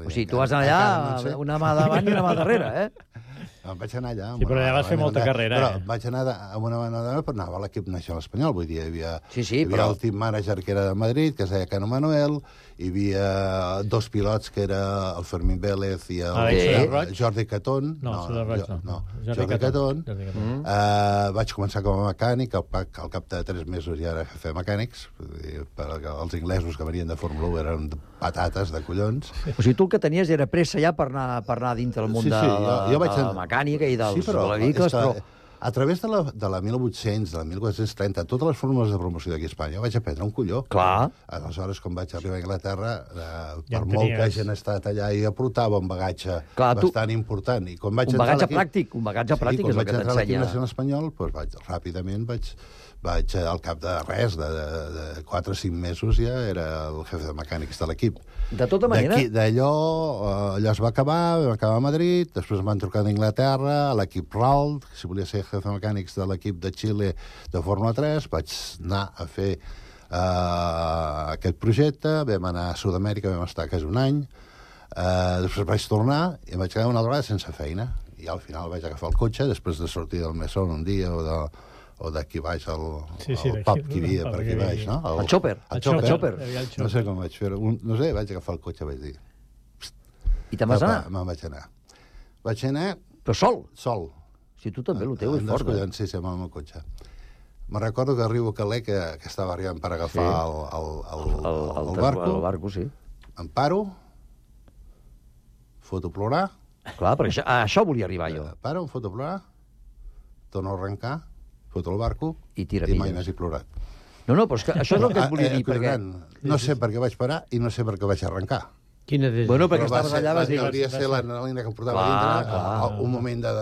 O sigui, tu vas anar allà una mà davant i una mà darrere, Em vaig anar allà... Sí, però allà vas fer molta carrera, Però vaig anar amb una mà darrere, però anava a l'equip nacional espanyol, vull dir, hi havia el team manager que era de Madrid, que es deia Cano Manuel, hi havia 2 pilots, que era el Fermín Vélez i el Jordi Catón. Jordi Catón. Vaig començar com a mecànic, al cap de 3 mesos ja era jefe de mecànics, els inglesos que venien de Fórmula 1 eren patates de collons. O sigui, tu el que tenies era pressa ja per anar dintre del món de la mecànica i dels vehicles, però... A través de la 1800, de la 1430, totes les fórmules de promoció d'aquí a Espanya, vaig aprendre un colló. Clar. Aleshores, quan vaig arribar a Anglaterra, per molt que hagin estat allà, i aportava un bagatge bastant important. Un bagatge pràctic és el que t'ensenya. I quan vaig entrar a l'equip nacional espanyol, ràpidament vaig al cap de res, de 4 o 5 mesos ja era el jefe de mecànics de l'equip. De tota manera... D'allò es va acabar, vam acabar a Madrid, després em van trucar d'Anglaterra, a l'equip RAL, si volia ser jefe de mecànics de l'equip de Xile de Fórmula 3, vaig anar a fer aquest projecte, vam anar a Sud-amèrica, vam estar quasi un any, després vaig tornar i em vaig quedar una altra vegada sense feina, i al final vaig agafar el cotxe, després de sortir del Mesón un dia o d'aquí baix, el pub que hi havia per aquí baix, no? El xòper. No sé com vaig fer-ho. No sé, vaig agafar el cotxe, vaig dir... I te'n vas anar? Me'n vaig anar. Vaig anar... Però sol? Sol. Si tu també, el teu és fort. Sí, amb el meu cotxe. Me'n recordo que arribo a Calais, que estava arribant per agafar el barco. El barco, sí. Em paro, foto plorar. Clar, perquè a això volia arribar jo. Paro, em foto plorar, torno a arrencar, foto el barco i mai més he plorat. No, però és que això és el que et volia dir, perquè... No sé per què vaig parar i no sé per què vaig arrencar. Bueno, perquè estaves allà, vas dir... Hauria de ser l'adrenalina que em portava dintre, un moment de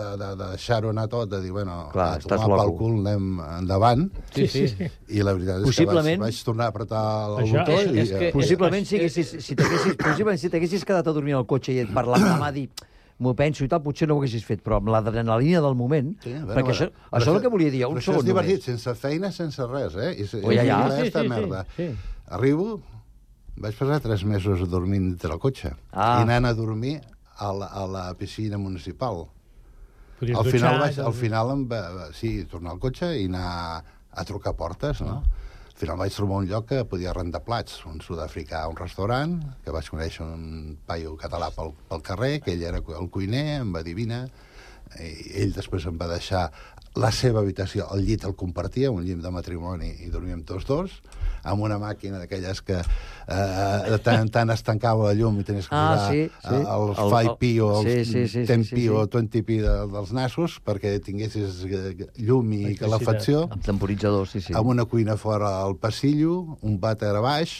deixar-ho anar tot, de dir, bueno, tomar pel cul, anem endavant. Sí. I la veritat és que vaig tornar a apretar el botó. Possiblement, si t'haguessis quedat a dormir al cotxe i et parlava la mà, dir... m'ho penso i tal, potser no ho haguessis fet, però amb l'adrenalina del moment, perquè això és el que volia dir, un segon només. Però això és divertit, sense feina, sense res, merda. Arribo, Vaig passar 3 mesos dormint dintre el cotxe. I anant a dormir a la piscina municipal. Al final tornar al cotxe i anar a trucar portes, no? Al final vaig trobar un lloc que podia arrendar plats, un sud-africà a un restaurant, que vaig conèixer un paio català pel carrer, que ell era el cuiner, em va dir vine, i ell després em va deixar la seva habitació, el llit el compartia, un llit de matrimoni, i dormíem tots dos, amb una màquina d'aquelles que tant es tancava la llum i tenies que posar els 5p o els 10p o 20p dels nassos perquè tinguessis llum i calefacció. Amb temporitzador, amb una cuina fora al passillo, un vàter a baix...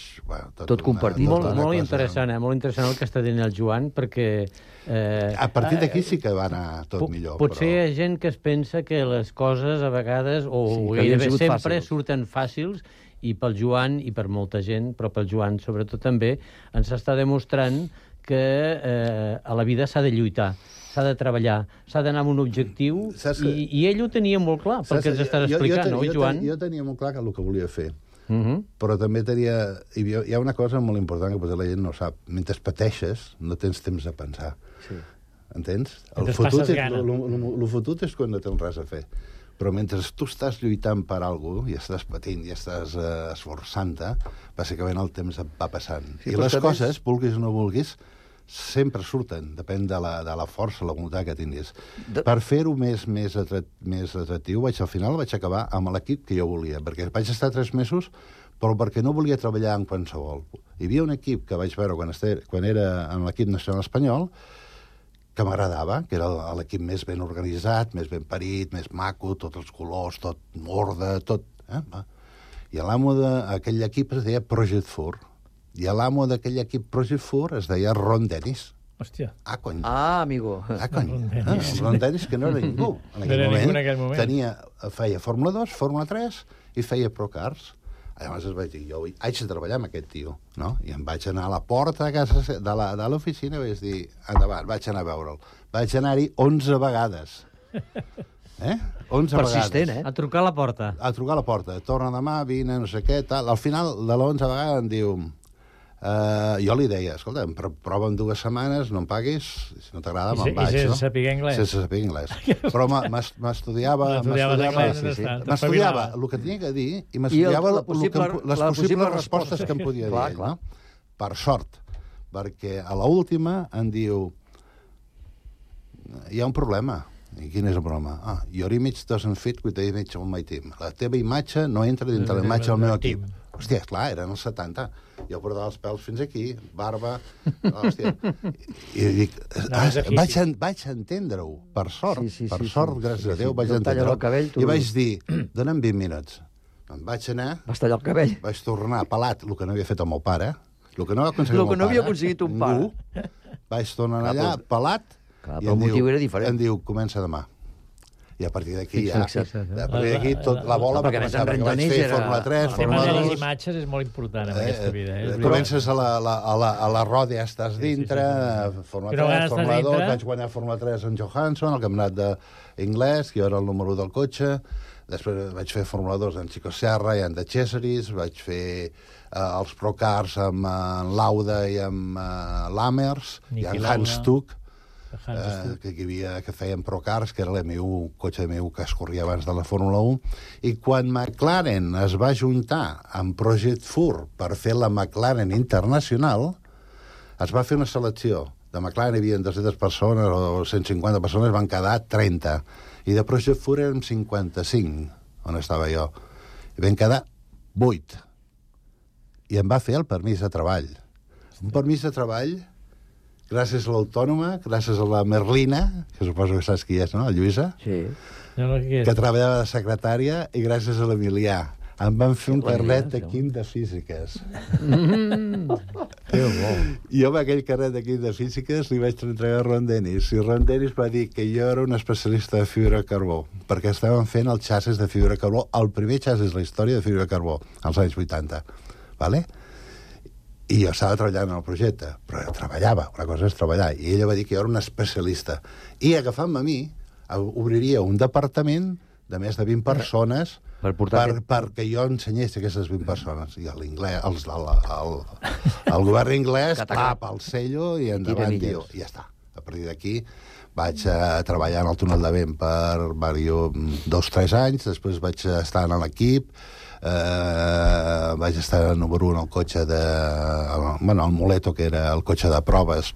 Tot compartit. Molt interessant el que està dient el Joan, perquè... A partir d'aquí sí que va anar tot millor. Potser hi ha gent que es pensa que les coses a vegades, o gairebé sempre, surten fàcils, i pel Joan, i per molta gent, però pel Joan sobretot també, ens està demostrant que a la vida s'ha de lluitar, s'ha de treballar, s'ha d'anar amb un objectiu, i ell ho tenia molt clar, pel que ens estàs explicant, oi, Joan? Jo tenia molt clar el que volia fer. Però també hi ha una cosa molt important que potser la gent no sap. Mentre pateixes, no tens temps de pensar. Entens? El fotut és quan no tens res a fer. Però mentre tu estàs lluitant per alguna cosa, i estàs patint, i estàs esforçant-te, bàsicament el temps et va passant. I les coses, vulguis o no vulguis, sempre surten, depèn de la força, la voluntat que tinguis. Per fer-ho més atractiu, al final vaig acabar amb l'equip que jo volia, perquè vaig estar 3 mesos, però perquè no volia treballar en qualsevol. Hi havia un equip que vaig veure quan era en l'equip nacional espanyol, que m'agradava, que era l'equip més ben organitzat, més ben parit, més maco, tots els colors, tot orde, tot. I l'amo d'aquell equip es deia Project 4. I l'amo d'aquell equip Project 4 es deia Ron Dennis. Hòstia. Cony. Amigo. Cony. Ron Dennis, que no era ningú. En aquell moment. Feia Fórmula 2, Fórmula 3 i feia Procars. Llavors vaig dir, jo haig de treballar amb aquest tio, no? I em vaig anar a la porta de l'oficina i vaig dir, endavant, vaig anar a veure'l. Vaig anar-hi 11 vegades. 11 Persistent, vegades. A trucar a la porta. A trucar a la porta. Torna demà, vine, no sé què, tal. Al final de l'11 vegada em diu... jo li deia, escolta, prova en 2 setmanes, no em paguis, si no t'agrada me'n vaig, no? I sense saber anglès? Sense saber anglès. Però m'estudiava el que tenia que dir i m'estudiava les possibles respostes que em podia dir, no? Per sort, perquè a l'última em diu hi ha un problema. I quin és el problema? Your image doesn't fit with the image of my team. La teva imatge no entra dintre la imatge del meu equip. Hòstia, esclar, eren els 70. Jo portava els pèls fins aquí, barba... Hòstia. I dic... Vaig entendre-ho, per sort. Per sort, gràcies a Déu, vaig entendre-ho. I vaig dir, dona'm 20 minuts. Em vaig anar... Vas tallar el cabell. Vaig tornar pelat, el que no havia fet el meu pare, el que no havia aconseguit un pare. Vaig tornar allà, pelat, i el motiu era diferent. Em diu, comença demà. I a partir d'aquí tot la bola va començar, perquè vaig fer Fórmula 3, Fórmula 2... Les imatges és molt important en aquesta vida. Comences a la roda, ja estàs dintre, Fórmula 3, Fórmula 2, vaig guanyar Fórmula 3 en Johansson, el campionat d'anglès, que jo era el número del cotxe, després vaig fer Fórmula 2 en Chico Serra i en The Cesaris, vaig fer els Procars amb Lauda i amb Lammers, i en Hans Stuck, que feien Procars, que era l'M1, cotxe d'M1 que es corria abans de la Fórmula 1, i quan McLaren es va juntar amb Project 4 per fer la McLaren Internacional, es va fer una selecció. De McLaren hi havia 200 persones o 150 persones, van quedar 30. I de Project 4 érem 55, on estava jo. I vam quedar 8. I em va fer el permís de treball. Un permís de treball gràcies a l'Autònoma, gràcies a la Merlina, que suposo que saps qui és, no?, la Lluïsa? Sí. Que treballava de secretària, i gràcies a l'Emilià. Em van fer un carnet de quim de físiques. Que bo. Jo amb aquell carnet de quim de físiques li vaig entregar a Ron Dennis, i Ron Dennis va dir que jo era un especialista de fibra de carbó, perquè estàvem fent el xassis de fibra de carbó, el primer xassis de la història de fibra de carbó, als anys 80. Vale? I jo estava treballant en el projecte, però treballava, una cosa és treballar, i ella va dir que jo era un especialista. I agafant-me a mi, obriria un departament de més de 20 persones perquè jo ensenyés aquestes 20 persones. I l'inglès, el govern inglès, clap, el cello i endavant, tio. I ja està. A partir d'aquí vaig treballar en el túnel de vent per 2-3 anys, després vaig estar en l'equip, vaig estar número 1 al cotxe el Muleto, que era el cotxe de proves,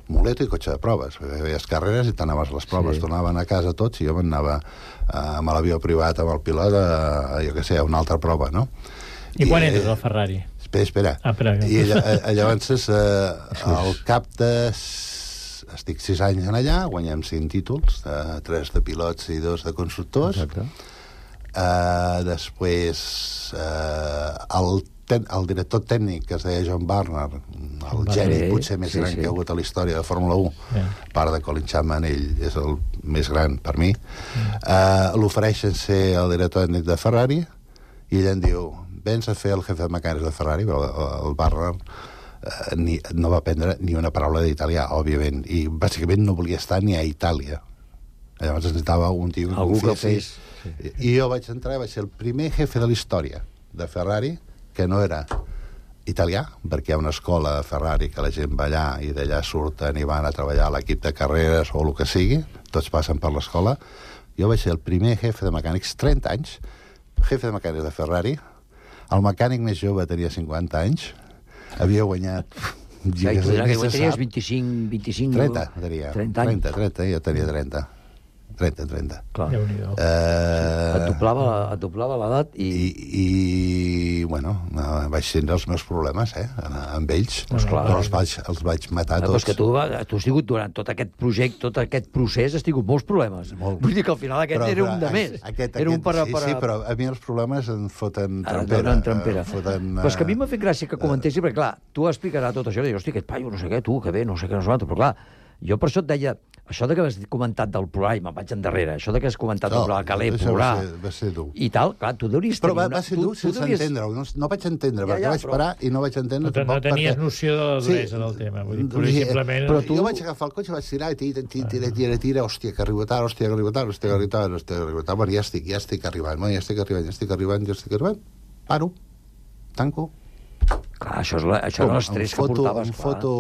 Muleto i cotxe de proves. Feies carreres i t'anaves a les proves. Tornaven a casa tots i jo m'anava amb l'avió privat, amb el pilot, jo què sé, a una altra prova, no? I quan entres al Ferrari? Espera. I llavors, al cap de... Estic 6 anys en allà, guanyem 5 títols, 3 de pilots i 2 de constructors. Després, el director tècnic, que es deia John Barner, el geni potser més gran que hi ha hagut a la història de Fórmula 1, a part de Colin Chapman, ell és el més gran per mi, l'ofereixen ser el director tècnic de Ferrari, i ell em diu, vens a fer el jefe de mecànics de Ferrari, però el Barner no va aprendre ni una paraula d'italià, òbviament, i bàsicament no volia estar ni a Itàlia. Llavors necessitava un tio que confiés. I jo vaig entrar i vaig ser el primer jefe de la història de Ferrari que no era italià, perquè hi ha una escola de Ferrari que la gent va allà i d'allà surten i van a treballar a l'equip de carreres o el que sigui, tots passen per l'escola. Jo vaig ser el primer jefe de mecànics, 30 anys, jefe de mecànics de Ferrari. El mecànic més jove tenia 50 anys, havia guanyat... Que tenies 25... 30, tenia. 30, jo tenia 30. 30. Clar. Et doblava l'edat i... bueno, vaig tindre els meus problemes, amb ells. Però els vaig matar tots. Però és que tu has tingut durant tot aquest projecte, tot aquest procés, has tingut molts problemes. Vull dir que al final aquest era un de més. Sí, però a mi els problemes em foten trampera. Però és que a mi m'ha fet gràcia que comentessi, perquè clar, tu explicaràs tot això, i dius, hosti, aquest paio, no sé què, tu, que bé, no sé què, no sé què, però clar, jo per això et deia, això de que has comentat del plorar, i me'n vaig endarrere, això de que has comentat del plorar, que l'he plorar, va ser dur. I tal, clar, tu deuries tenir... Però va ser dur sense entendre-ho, no vaig entendre, perquè vaig parar i no vaig entendre tampoc. No tenies noció de la duresa del tema, vull dir, simplement... Però jo vaig agafar el cotxe, vaig tirar, tira, hòstia, que arribo tard, bueno, ja estic arribant, paro, tanco. Clar, això era l'estrès que portaves, clar. Em foto...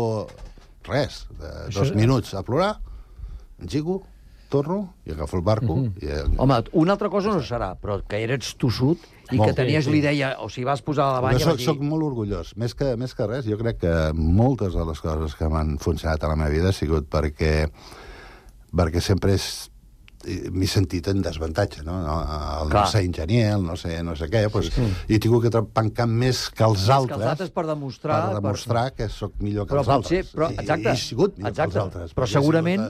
res, 2 minuts a plorar, engigo, torno i agafo el barco. Home, una altra cosa no serà, però que eres tossut i que tenies l'idea, o sigui, vas posar a la banya... Soc molt orgullós, més que res. Jo crec que moltes de les coses que m'han funcionat a la meva vida ha sigut perquè sempre m'he sentit en desavantatge, no? El no ser enginyer, el no ser no sé què, i he tingut que pencar més que els altres per demostrar que sóc millor que els altres. Exacte. I he sigut millor que els altres. Però segurament...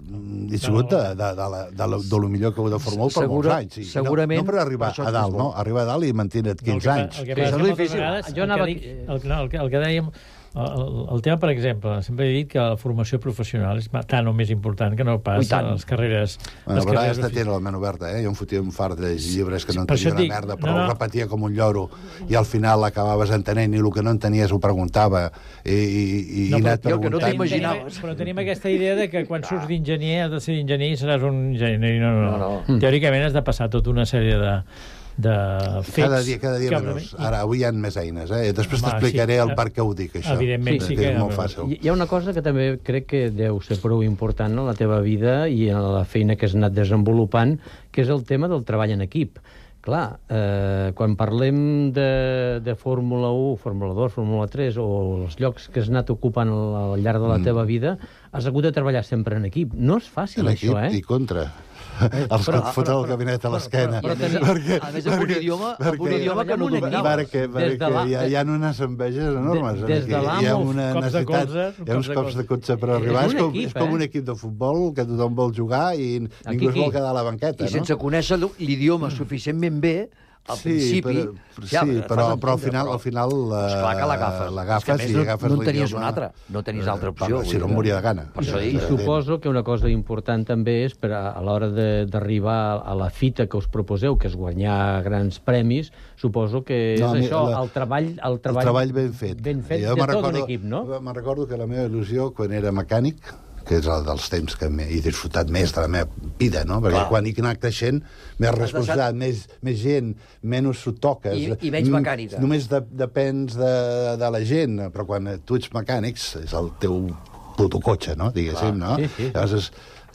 He sigut de lo millor que he hagut de Fórmula 1 per molts anys. Segurament... No per arribar a dalt, no? Arribar a dalt i mantenir 15 anys. El que passa moltes vegades, el que dèiem, el tema, per exemple, sempre he dit que la formació professional és tant o més important que no pas les carreres... Bueno, però has de tenir la ment oberta, Jo em fotia un fart de llibres que no entenia una merda, però ho repetia com un lloro, i al final l'acabaves entenent, i el que no entenies ho preguntava, i anat preguntant... Però tenim aquesta idea de que quan surts d'enginyer has de ser enginyer i seràs un enginyer. No. Teòricament has de passar tota una sèrie de fets... Cada dia menys. Ara, avui hi ha més eines, Després t'explicaré el per què ho dic, això. Evidentment, sí que és molt fàcil. Hi ha una cosa que també crec que deu ser prou important en la teva vida i en la feina que has anat desenvolupant, que és el tema del treball en equip. Clar, quan parlem de Fórmula 1, Fórmula 2, Fórmula 3, o els llocs que has anat ocupant al llarg de la teva vida, has hagut de treballar sempre en equip. No és fàcil, això, En equip i contra. Els que et foten el gabinet a l'esquena. A més, amb un idioma que no dominaves. Perquè hi ha unes enveges enormes. Hi ha una necessitat, hi ha uns cops de cotxe per arribar. És com un equip de futbol que tothom vol jugar i ningú es vol quedar a la banqueta. I sense conèixer l'idioma suficientment bé, al principi... però al final esclar que l'agafes i agafes no en tenies una altra, no tenies altra opció. Si no em moria de gana. I suposo que una cosa important també és a l'hora d'arribar a la fita que us proposeu, que és guanyar grans premis, suposo que és això, el treball ben fet. Ben fet de tot un equip, no? Me'n recordo que la meva il·lusió, quan era mecànic, que és el dels temps que he disfrutat més de la meva vida, no? Perquè quan he anat creixent, més responsabilitat, més gent, menys s'ho toques. I menys mecànica. Només depens de la gent, però quan tu ets mecànics, és el teu puto cotxe, no? Diguéssim, no? Sí. Llavors,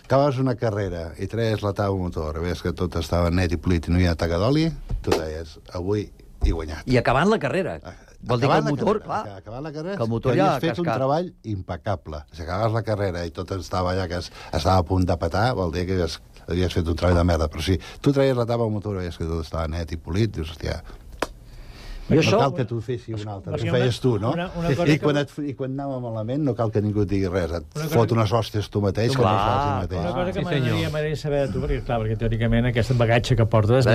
acabaves una carrera i treies la taula motor, veies que tot estava net i polit i no hi havia taca d'oli, tu deies, avui he guanyat. I acabant la carrera. Vol dir que el motor, acabant la carrera, que el motor ja ha fet un treball impecable. Si acabaves la carrera i tot estava allà que estava a punt de petar, vol dir que havies fet un treball de merda. Però si tu traies la tapa al motor i veies que tot estava net i polit, dius, hòstia, no cal que tu fessis un altre, ho feies tu, no? I quan anava malament no cal que ningú et digui res, et fot unes hòsties tu mateix, que no fas ell mateix. Una cosa que m'agradaria saber de tu, perquè teòricament aquest bagatge que portes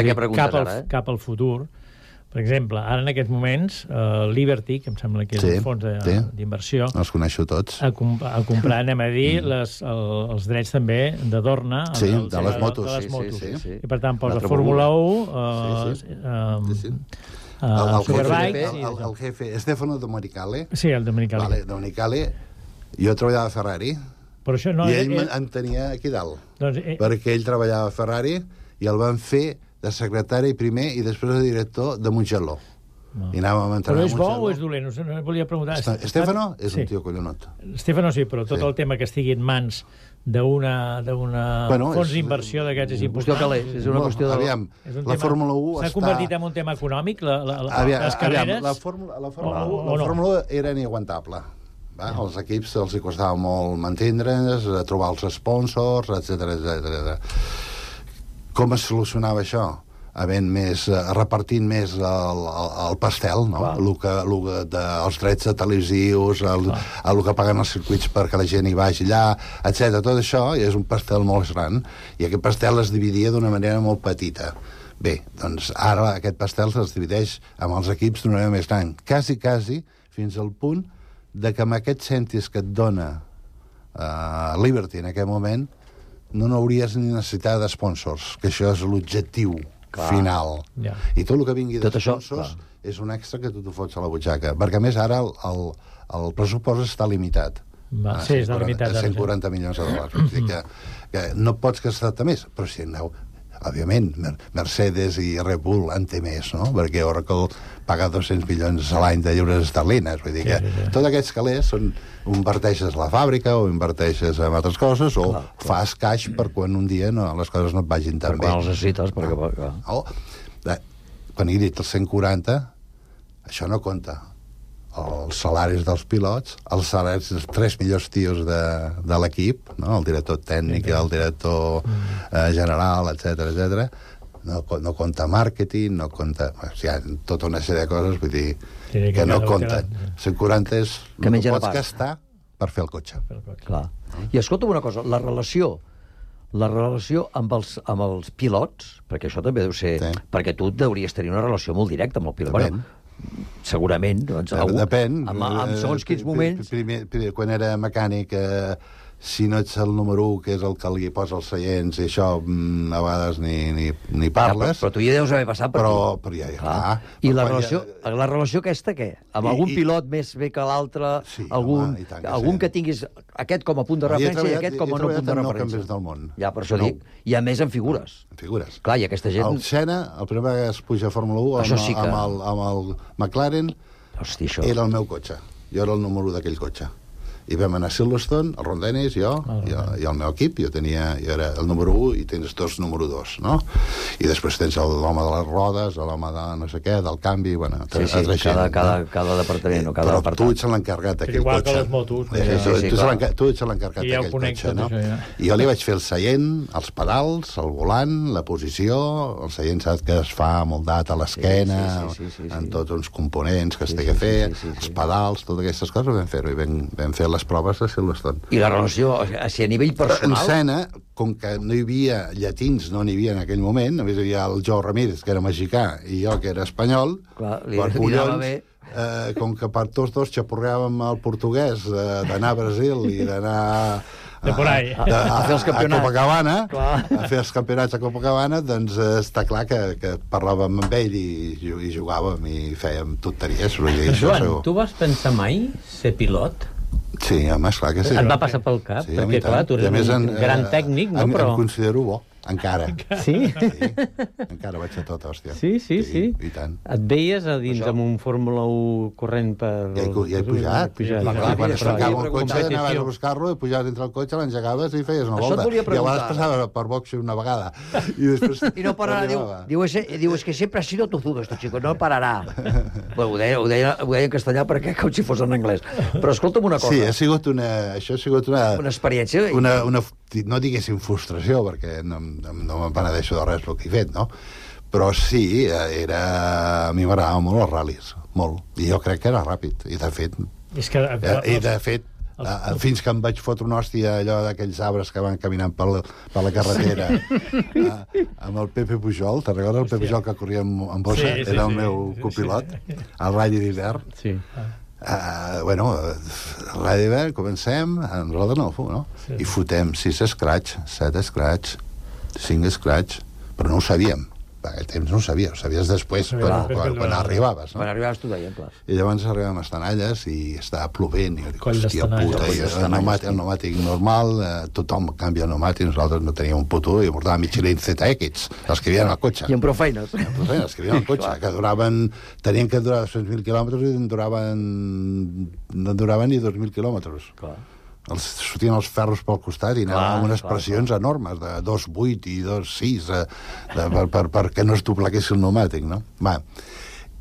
cap al futur. Per exemple, ara en aquests moments, Liberty, que em sembla que és un fons d'inversió... Els coneixo tots. Ha comprat, anem a dir, els drets també de Dorna. Sí, de les motos. I per tant posa Fórmula 1, Superbike... El jefe, Stefano Domenicali. Sí, el Domenicali. Domenicali, jo treballava a Ferrari, i ell em tenia aquí dalt, perquè ell treballava a Ferrari i el van fer de secretari primer i després de director de Mugello. I anàvem a entrenar a Mugello. Però és bo o és dolent? No volia preguntar. Stefano és un tio collonot. Stefano sí, però tot el tema que estigui en mans d'una fons d'inversió d'aquests és important. És una qüestió de... Aviam, la Fórmula 1 s'ha convertit en un tema econòmic, les carreres? La Fórmula 1 era inaguantable. Els equips els costava molt mantindre's, trobar els sponsors, etc. Com es solucionava això? Repartint més el pastel, no? Els drets televisius, el que paguen els circuits perquè la gent hi vagi allà, etc. Tot això és un pastel molt gran, i aquest pastel es dividia d'una manera molt petita. Bé, doncs ara aquest pastel es divideix amb els equips d'una manera més gran, quasi, fins al punt de que amb aquests cèntims que et dona Liberty en aquest moment no n'hauries ni necessitat de sponsors, que això és l'objectiu final. I tot el que vingui de sponsors és un extra que tu t'ho fots a la butxaca, perquè a més ara el pressupost està limitat. Sí, està limitat. A 140 milions de dòlars. Vull dir que no pots gastar-te més, però si aneu... Òbviament, Mercedes i Red Bull en té més, no? Perquè Oracle paga 200 milions a l'any de lliures esterlines. Vull dir que tots aquests calés són... O inverteixes a la fàbrica, o inverteixes en altres coses, o fas caix per quan un dia les coses no et vagin tan bé. Per quan els necessites, quan he dit els 140, això no compta. Els salaris dels pilots, els salaris dels 3 millors tios de l'equip, no? El director tècnic, el director general, etc. No compta màrqueting, no compta... Hi ha tota una sèrie de coses, vull dir, que no compten. 140 és el que pots gastar per fer el cotxe. Clar. I escolta'm una cosa, la relació amb els pilots, perquè això també deu ser... Perquè tu hauries tenir una relació molt directa amb el pilot. Depèn. Segurament. Depèn. En segons quins moments... Quan era mecànic... si no ets el número 1, que és el que li posa els seients, i això a vegades ni parles. Però tu ja deus haver passat per aquí. Però ja. I la relació aquesta, què? Amb algun pilot més bé que l'altre? Algun que tinguis aquest com a punt de referència i aquest com a no punt de referència? Campions del món. Ja, per això dic. I a més en figures. En figures. Clar, i aquesta gent... El Senna, el primer que es puja a Fórmula 1 amb el McLaren, era el meu cotxe. Jo era el número 1 d'aquell cotxe. I vam anar a Silverstone, el Ron Dennis, jo i el meu equip. Jo era el número 1 i tens 2 número 2, no? I després tens l'home de les rodes, l'home de no sé què, del canvi, bueno... Cada departament o cada apartat. Però tu ets l'encarregat d'aquell cotxe. Igual que les motos. Tu ets l'encarregat d'aquell cotxe, no? I jo li vaig fer el seient, els pedals, el volant, la posició, el seient saps que es fa moldat a l'esquena, en tots uns components que es té que fer, els pedals, totes aquestes coses vam fer-ho i vam fer les proves de Silverstone. I la relació, si a nivell personal... En Senna, com que no hi havia llatins, no n'hi havia en aquell moment, només hi havia el Joe Ramírez, que era mexicà, i jo, que era espanyol, com que per tots dos xapurreàvem el portuguès d'anar a Brasil i d'anar... de por ahí. A fer els campionats. A Copacabana, a fer els campionats a Copacabana, doncs està clar que parlàvem amb ell i jugàvem i fèiem tonteries. Joan, tu vas pensar mai ser pilot? Sí, home, esclar que sí. Et va passar pel cap, perquè, clar, tu eres un gran tècnic, no? Em considero bo. Encara. Sí? Encara vaig a tot, hòstia. Sí. I tant. Et veies a dins amb un Fórmula 1 corrent per... Ja he pujat. Quan es tancava el cotxe, anaves a buscar-lo, pujaves entre el cotxe, l'engegaves i feies una volta. I a vegades passava per boxe una vegada. I no pararà. Diu, es que sempre ha sido tozudo, este chico, no pararà. Ho deia en castellà perquè com si fos en anglès. Però escolta'm una cosa. Sí, això ha sigut una experiència. No diguéssim frustració, perquè no me'n penedeixo de res el que he fet, no? Però sí, a mi m'agradava molt els ral·lis, molt. I jo crec que era ràpid. I de fet, fins que em vaig fotre una hòstia allò d'aquells arbres que van caminant per la carretera amb el Pepe Pujol. Te'n recordes el Pepe Pujol que corria amb bossa? Era el meu copilot, al ratll d'hivern. Sí. Bueno, l'any d'hivern comencem, nosaltres no? I fotem 6 escratx, 7 escratx, 5 escratx, però no ho sabíem. Per aquell temps no ho sabies, ho sabies després, quan arribaves. Quan arribaves t'ho deien, clar. I llavors arribàvem a Estanalles i estava plovent, i dic, hòstia puta, el pneumàtic normal, tothom canvia el pneumàtic, nosaltres no teníem un puto i portàvem Michelin ZX, els que havien al cotxe. I amb prou feines. Els que havien al cotxe, que tenien que durar 200.000 quilòmetres i no duraven ni 2.000 quilòmetres. Clar. Sortien els ferros pel costat i anaven amb unes pressions enormes de 2,8 i 2,6 perquè no es doblegués el pneumàtic, no?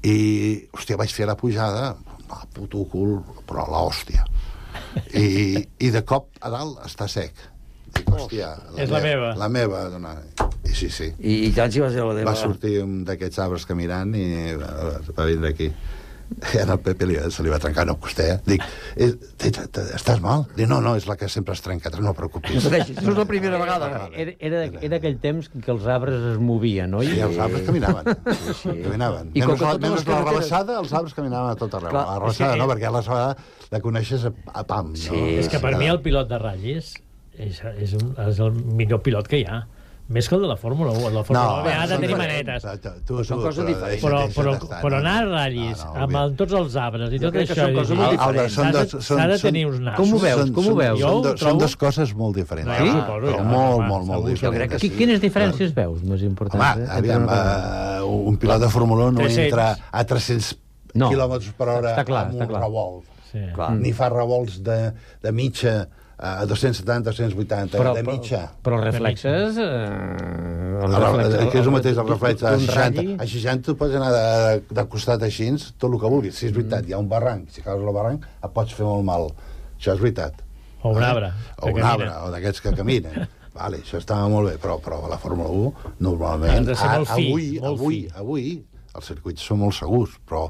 I, hòstia, vaig fer la pujada, puto cul, però l'hòstia. I de cop a dalt està sec. Dic, hòstia, la meva. I sí. I tant si va ser la teva... Va sortir un d'aquests arbres caminant i va vindre aquí. I al Pepe se li va trencar una costella. Dic, estàs mal? Dic, no, és la que sempre es trenca, no preocupis. Això és la primera vegada. Era aquell temps que els arbres es movien, oi? Sí, els arbres caminaven. Caminaven. Menys la rebassada, els arbres caminaven a tot arreu. La rebassada no, perquè la rebassada la coneixes a pam. És que per mi el pilot de ratllis és el millor pilot que hi ha. Més que el de la Fórmula 1. La Fórmula 1 ha de tenir manetes. Són coses diferents. Però anar a ratllis, amb tots els arbres i tot això, s'ha de tenir uns nassos. Com ho veus? Són dues coses molt diferents. Sí? Molt diferents. Quines diferències veus més importants? Home, aviam, un pilot de Fórmula 1 no entra a 300 quilòmetres per hora amb un revolt. Ni fa revolts de mitja a 270, 280, de mitja. Però els reflexes... Que és el mateix, el reflex. A 60 tu pots anar de costat així, tot el que vulguis. Si és veritat, hi ha un barranc. Si caus al barranc, et pots fer molt mal. Això és veritat. O un arbre. O un arbre, o d'aquests que caminen. Vale, això estava molt bé, però a la Fórmula 1, normalment... Avui, els circuits són molt segurs, però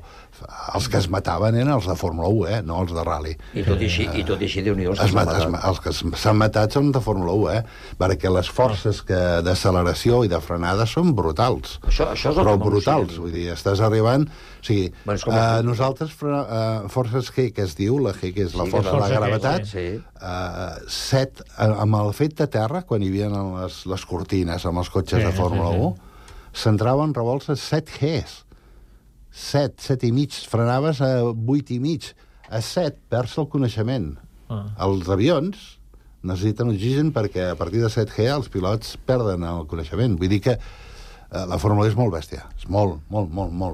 els que es mataven eren els de Fórmula 1, no els de rally. I tot i així, Déu-n'hi-do, els que s'han matat són de Fórmula 1, perquè les forces d'acceleració i de frenada són brutals. Això és però brutals, vull dir, estàs arribant... O sigui, nosaltres, forces G, que es diu, la G, que és la força de la gravetat, amb el fet de terra, quan hi havia les cortines amb els cotxes de Fórmula 1, s'entraven revolts a 7 Gs. 7 i mig. Frenaves a 8 i mig. A 7 perds el coneixement. Els avions necessiten oxigen perquè a partir de 7 G els pilots perden el coneixement. Vull dir que la Fórmula 1 és molt bèstia. És molt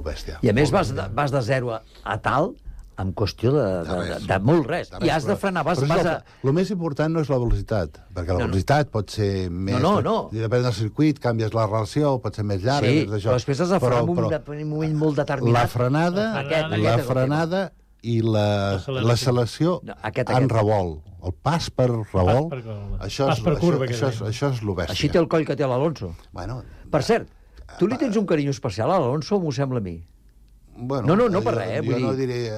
bèstia. I a més vas de 0 a tal... en qüestió de molt res. I has de frenar, El més important no és la velocitat, perquè la velocitat pot ser més... No. Depèn del circuit, canvies la relació, pot ser més llarga... Sí, però després has de frenar en un moment molt determinat. La frenada i l'acceleració en revolt. El pas per revolt, això és el bèstia. Així té el coll que té l'Alonso. Per cert, tu li tens un carinyo especial a l'Alonso, m'ho sembla a mi? Bueno, no per res, vull dir... Jo no diré...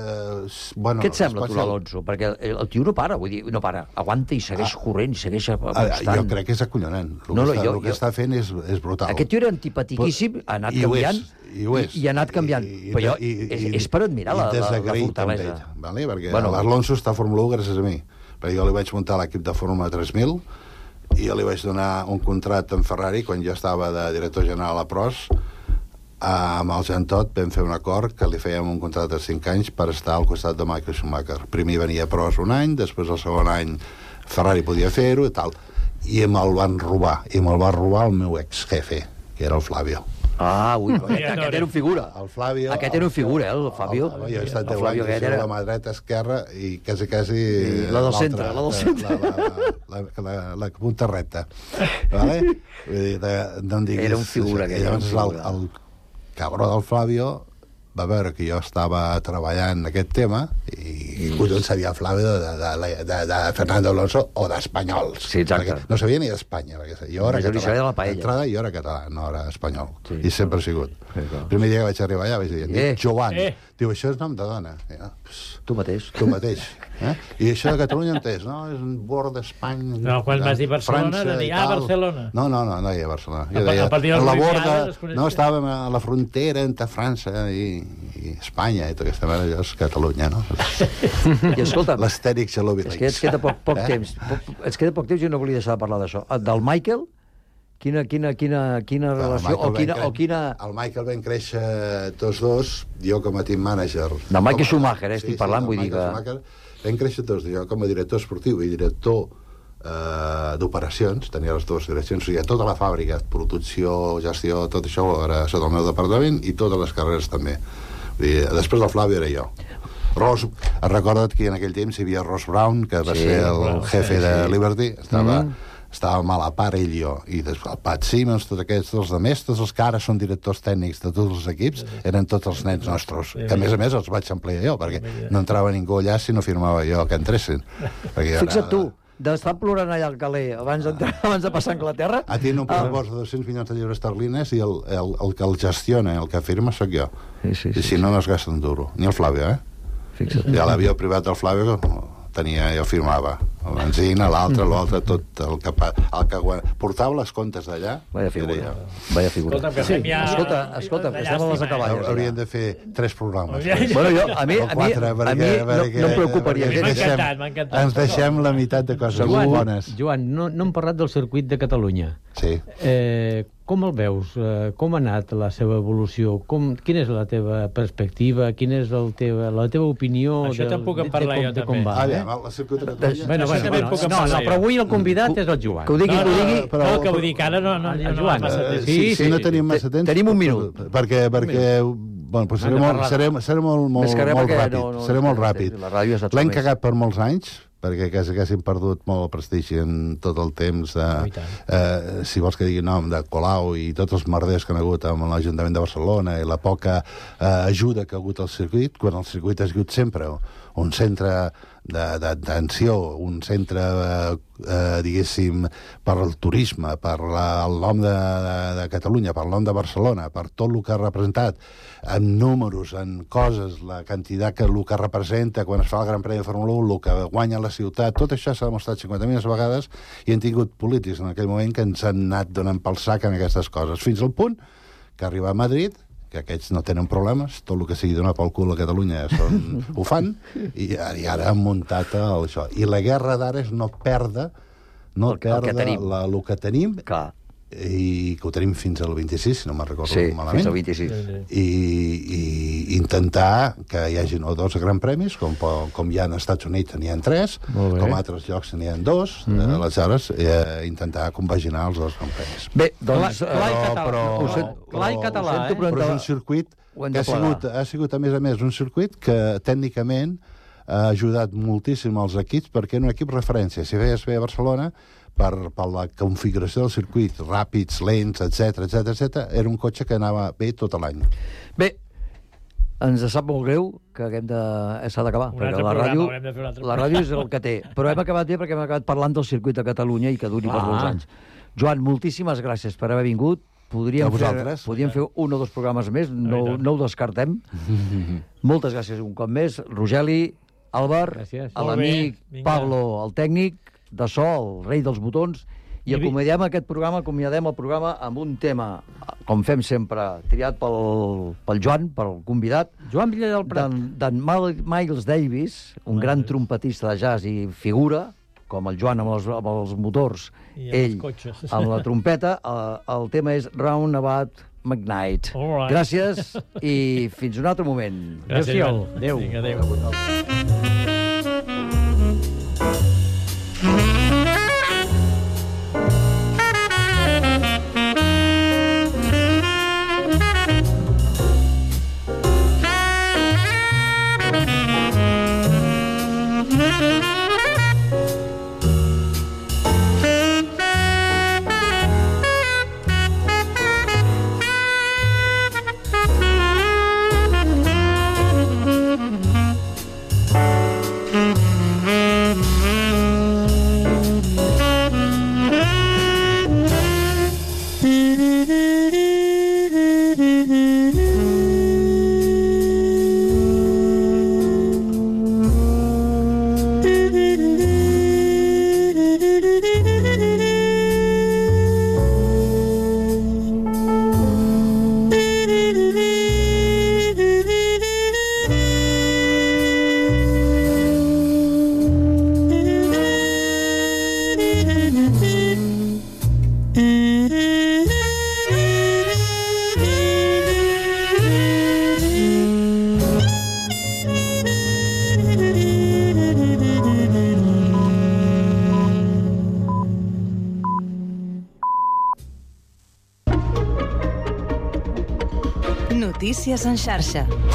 Què et sembla, tu, l'Alonso? Perquè el tio no para, vull dir, no para. Aguanta i segueix corrent, i segueix apostant. Jo crec que és acollonant. El que està fent és brutal. Aquest tio era antipatiquíssim, ha anat canviant, i ha anat canviant. Però és per admirar la fortalesa. Perquè l'Alonso està a Fórmula 1 gràcies a mi. Perquè jo li vaig muntar l'equip de Fórmula 3000 i jo li vaig donar un contracte amb Ferrari quan jo estava de director general a Pros amb el Jean Todt vam fer un acord que li fèiem un contracte de 5 anys per estar al costat de Michael Schumacher. Primer venia a proves un any, després el segon any Ferrari podia fer-ho i tal. I me'l van robar. I me'l va robar el meu ex-jefe, que era el Flavio. Ui, aquest era un figura. El Flavio... Aquest era un figura, el Fabio. Jo he estat 10 anys a la mà dreta, esquerra, i quasi... La del centre, la del centre. La punta recta. Vale? No em diguis... Era un figura. Llavors el cabró del Flavio va veure que jo estava treballant en aquest tema i collons sabia Flavio de Fernando Alonso o d'espanyols. Sí, exacte. No sabia ni d'Espanya. Jo era català. D'entrada jo era català, no era espanyol. I sempre he sigut. El primer dia que vaig arribar allà vaig dir, Joan. Diu, això és nom de dona. Tu mateix. Tu mateix. I això de Catalunya entès, no? És un bord d'Espanya... No, quan vas dir Barcelona, de dir, Barcelona. No hi ha Barcelona. Jo deia, a la borda... No, estàvem a la frontera entre França i Espanya, i tota aquesta manera, és Catalunya, no? I escolta... L'estèric Xalovi. És que ens queda poc temps. Ens queda poc temps i no volia deixar de parlar d'això. Del Michael... Quina relació o quina... El Michael vam créixer tots dos, jo com a team manager... Del Michael Schumacher, estic parlant, vull dir que... Vam créixer tots, jo com a director esportiu i director d'operacions, tenia les dues direccions, o sigui, tota la fàbrica, producció, gestió, tot això era sota el meu departament i totes les carreres també. Després del Flavio era jo. Ross, recorda't que en aquell temps hi havia Ross Brown, que va ser el jefe de Liberty, estava mal a part ell i jo, i després el Pat Simmons, tots aquests, els altres, tots els que ara són directors tècnics de tots els equips, eren tots els nens nostres, que a més els vaig emplear jo, perquè no entrava ningú allà si no firmava jo que entressin. Fixa't tu, d'estar plorant allà al Calais abans de passar a Anglaterra... A ti no pressupost de 200 milions de lliures esterlines i el que el gestiona, el que firma, sóc jo. I si no es gasten duro. Ni el Flavio, Fixa't. I a l'avió privat del Flavio jo firmava el benzina, l'altre, tot el que portava les comptes d'allà. Vaya figura. Escolta, que estem a les acaballes. Haurien de fer 3 programes. Bueno, a mi no em preocuparia. M'ha encantat. Ens deixem la meitat de coses bones. Joan, no hem parlat del circuit de Catalunya. Sí. Com el veus? Com ha anat la seva evolució? Quina és la teva perspectiva? Quina és la teva opinió? Això te'n puc en parlar jo també. El circuit de Catalunya... Però avui el convidat és el Joan. Que ho digui. No, que vull dir que ara no hi ha massa temps. Sí, no tenim massa temps. Tenim un minut. Perquè seré molt ràpid. L'hem cagat per molts anys, perquè quasi hem perdut molt el prestigi en tot el temps si vols que digui nom de Colau i tots els merders que han hagut amb l'Ajuntament de Barcelona i la poca ajuda que ha hagut al circuit, quan el circuit ha sigut sempre un centre d'atenció, un centre diguéssim per al turisme, per el nom de Catalunya, per el nom de Barcelona, per tot el que ha representat en números, en coses, la quantitat que el que representa quan es fa el Gran Premi de Fórmula 1, el que guanya la ciutat, tot això s'ha demostrat 50.000 vegades i hem tingut polítics en aquell moment que ens han anat donant pel sac en aquestes coses, fins al punt que arriba a Madrid, que aquests no tenen problemes, tot el que sigui donar pel cul a Catalunya ho fan, i ara han muntat això. I la guerra d'ara és no perdre el que tenim, i que ho tenim fins al 26, si no me'n recordo malament. Sí, fins al 26. I intentar que hi hagi no 2 grans premis, com hi ha als Estats Units n'hi ha 3, com a altres llocs n'hi ha 2, aleshores intentar compaginar els 2 grans premis. Bé, doncs... Clar i català, però és un circuit que ha sigut, a més, un circuit que tècnicament ha ajudat moltíssim als equips, perquè era un equip referència. Si feies bé a Barcelona, per la configuració del circuit, ràpids, lents, etc, era un cotxe que anava bé tot l'any. Bé, ens sap molt greu que s'ha d'acabar, perquè la ràdio és el que té. Però hem acabat bé perquè hem acabat parlant del circuit de Catalunya i que duri per molts anys. Joan, moltíssimes gràcies per haver vingut. Podríem fer 1 o 2 programes més, no ho descartem. Moltes gràcies un cop més. Rogeli, Albert, a l'amic Pablo, el tècnic, de so, el rei dels botons, i acomiadem el programa amb un tema, com fem sempre, triat pel Joan, pel convidat, Joan Villa del Prat, d'en Miles Davis, un gran trompetista de jazz i figura, com el Joan amb els motors, ell amb la trompeta. El tema és Roundabout McKnight. Gràcies i fins un altre moment. Gràcies. Adéu. Adéu. Notícies en xarxa.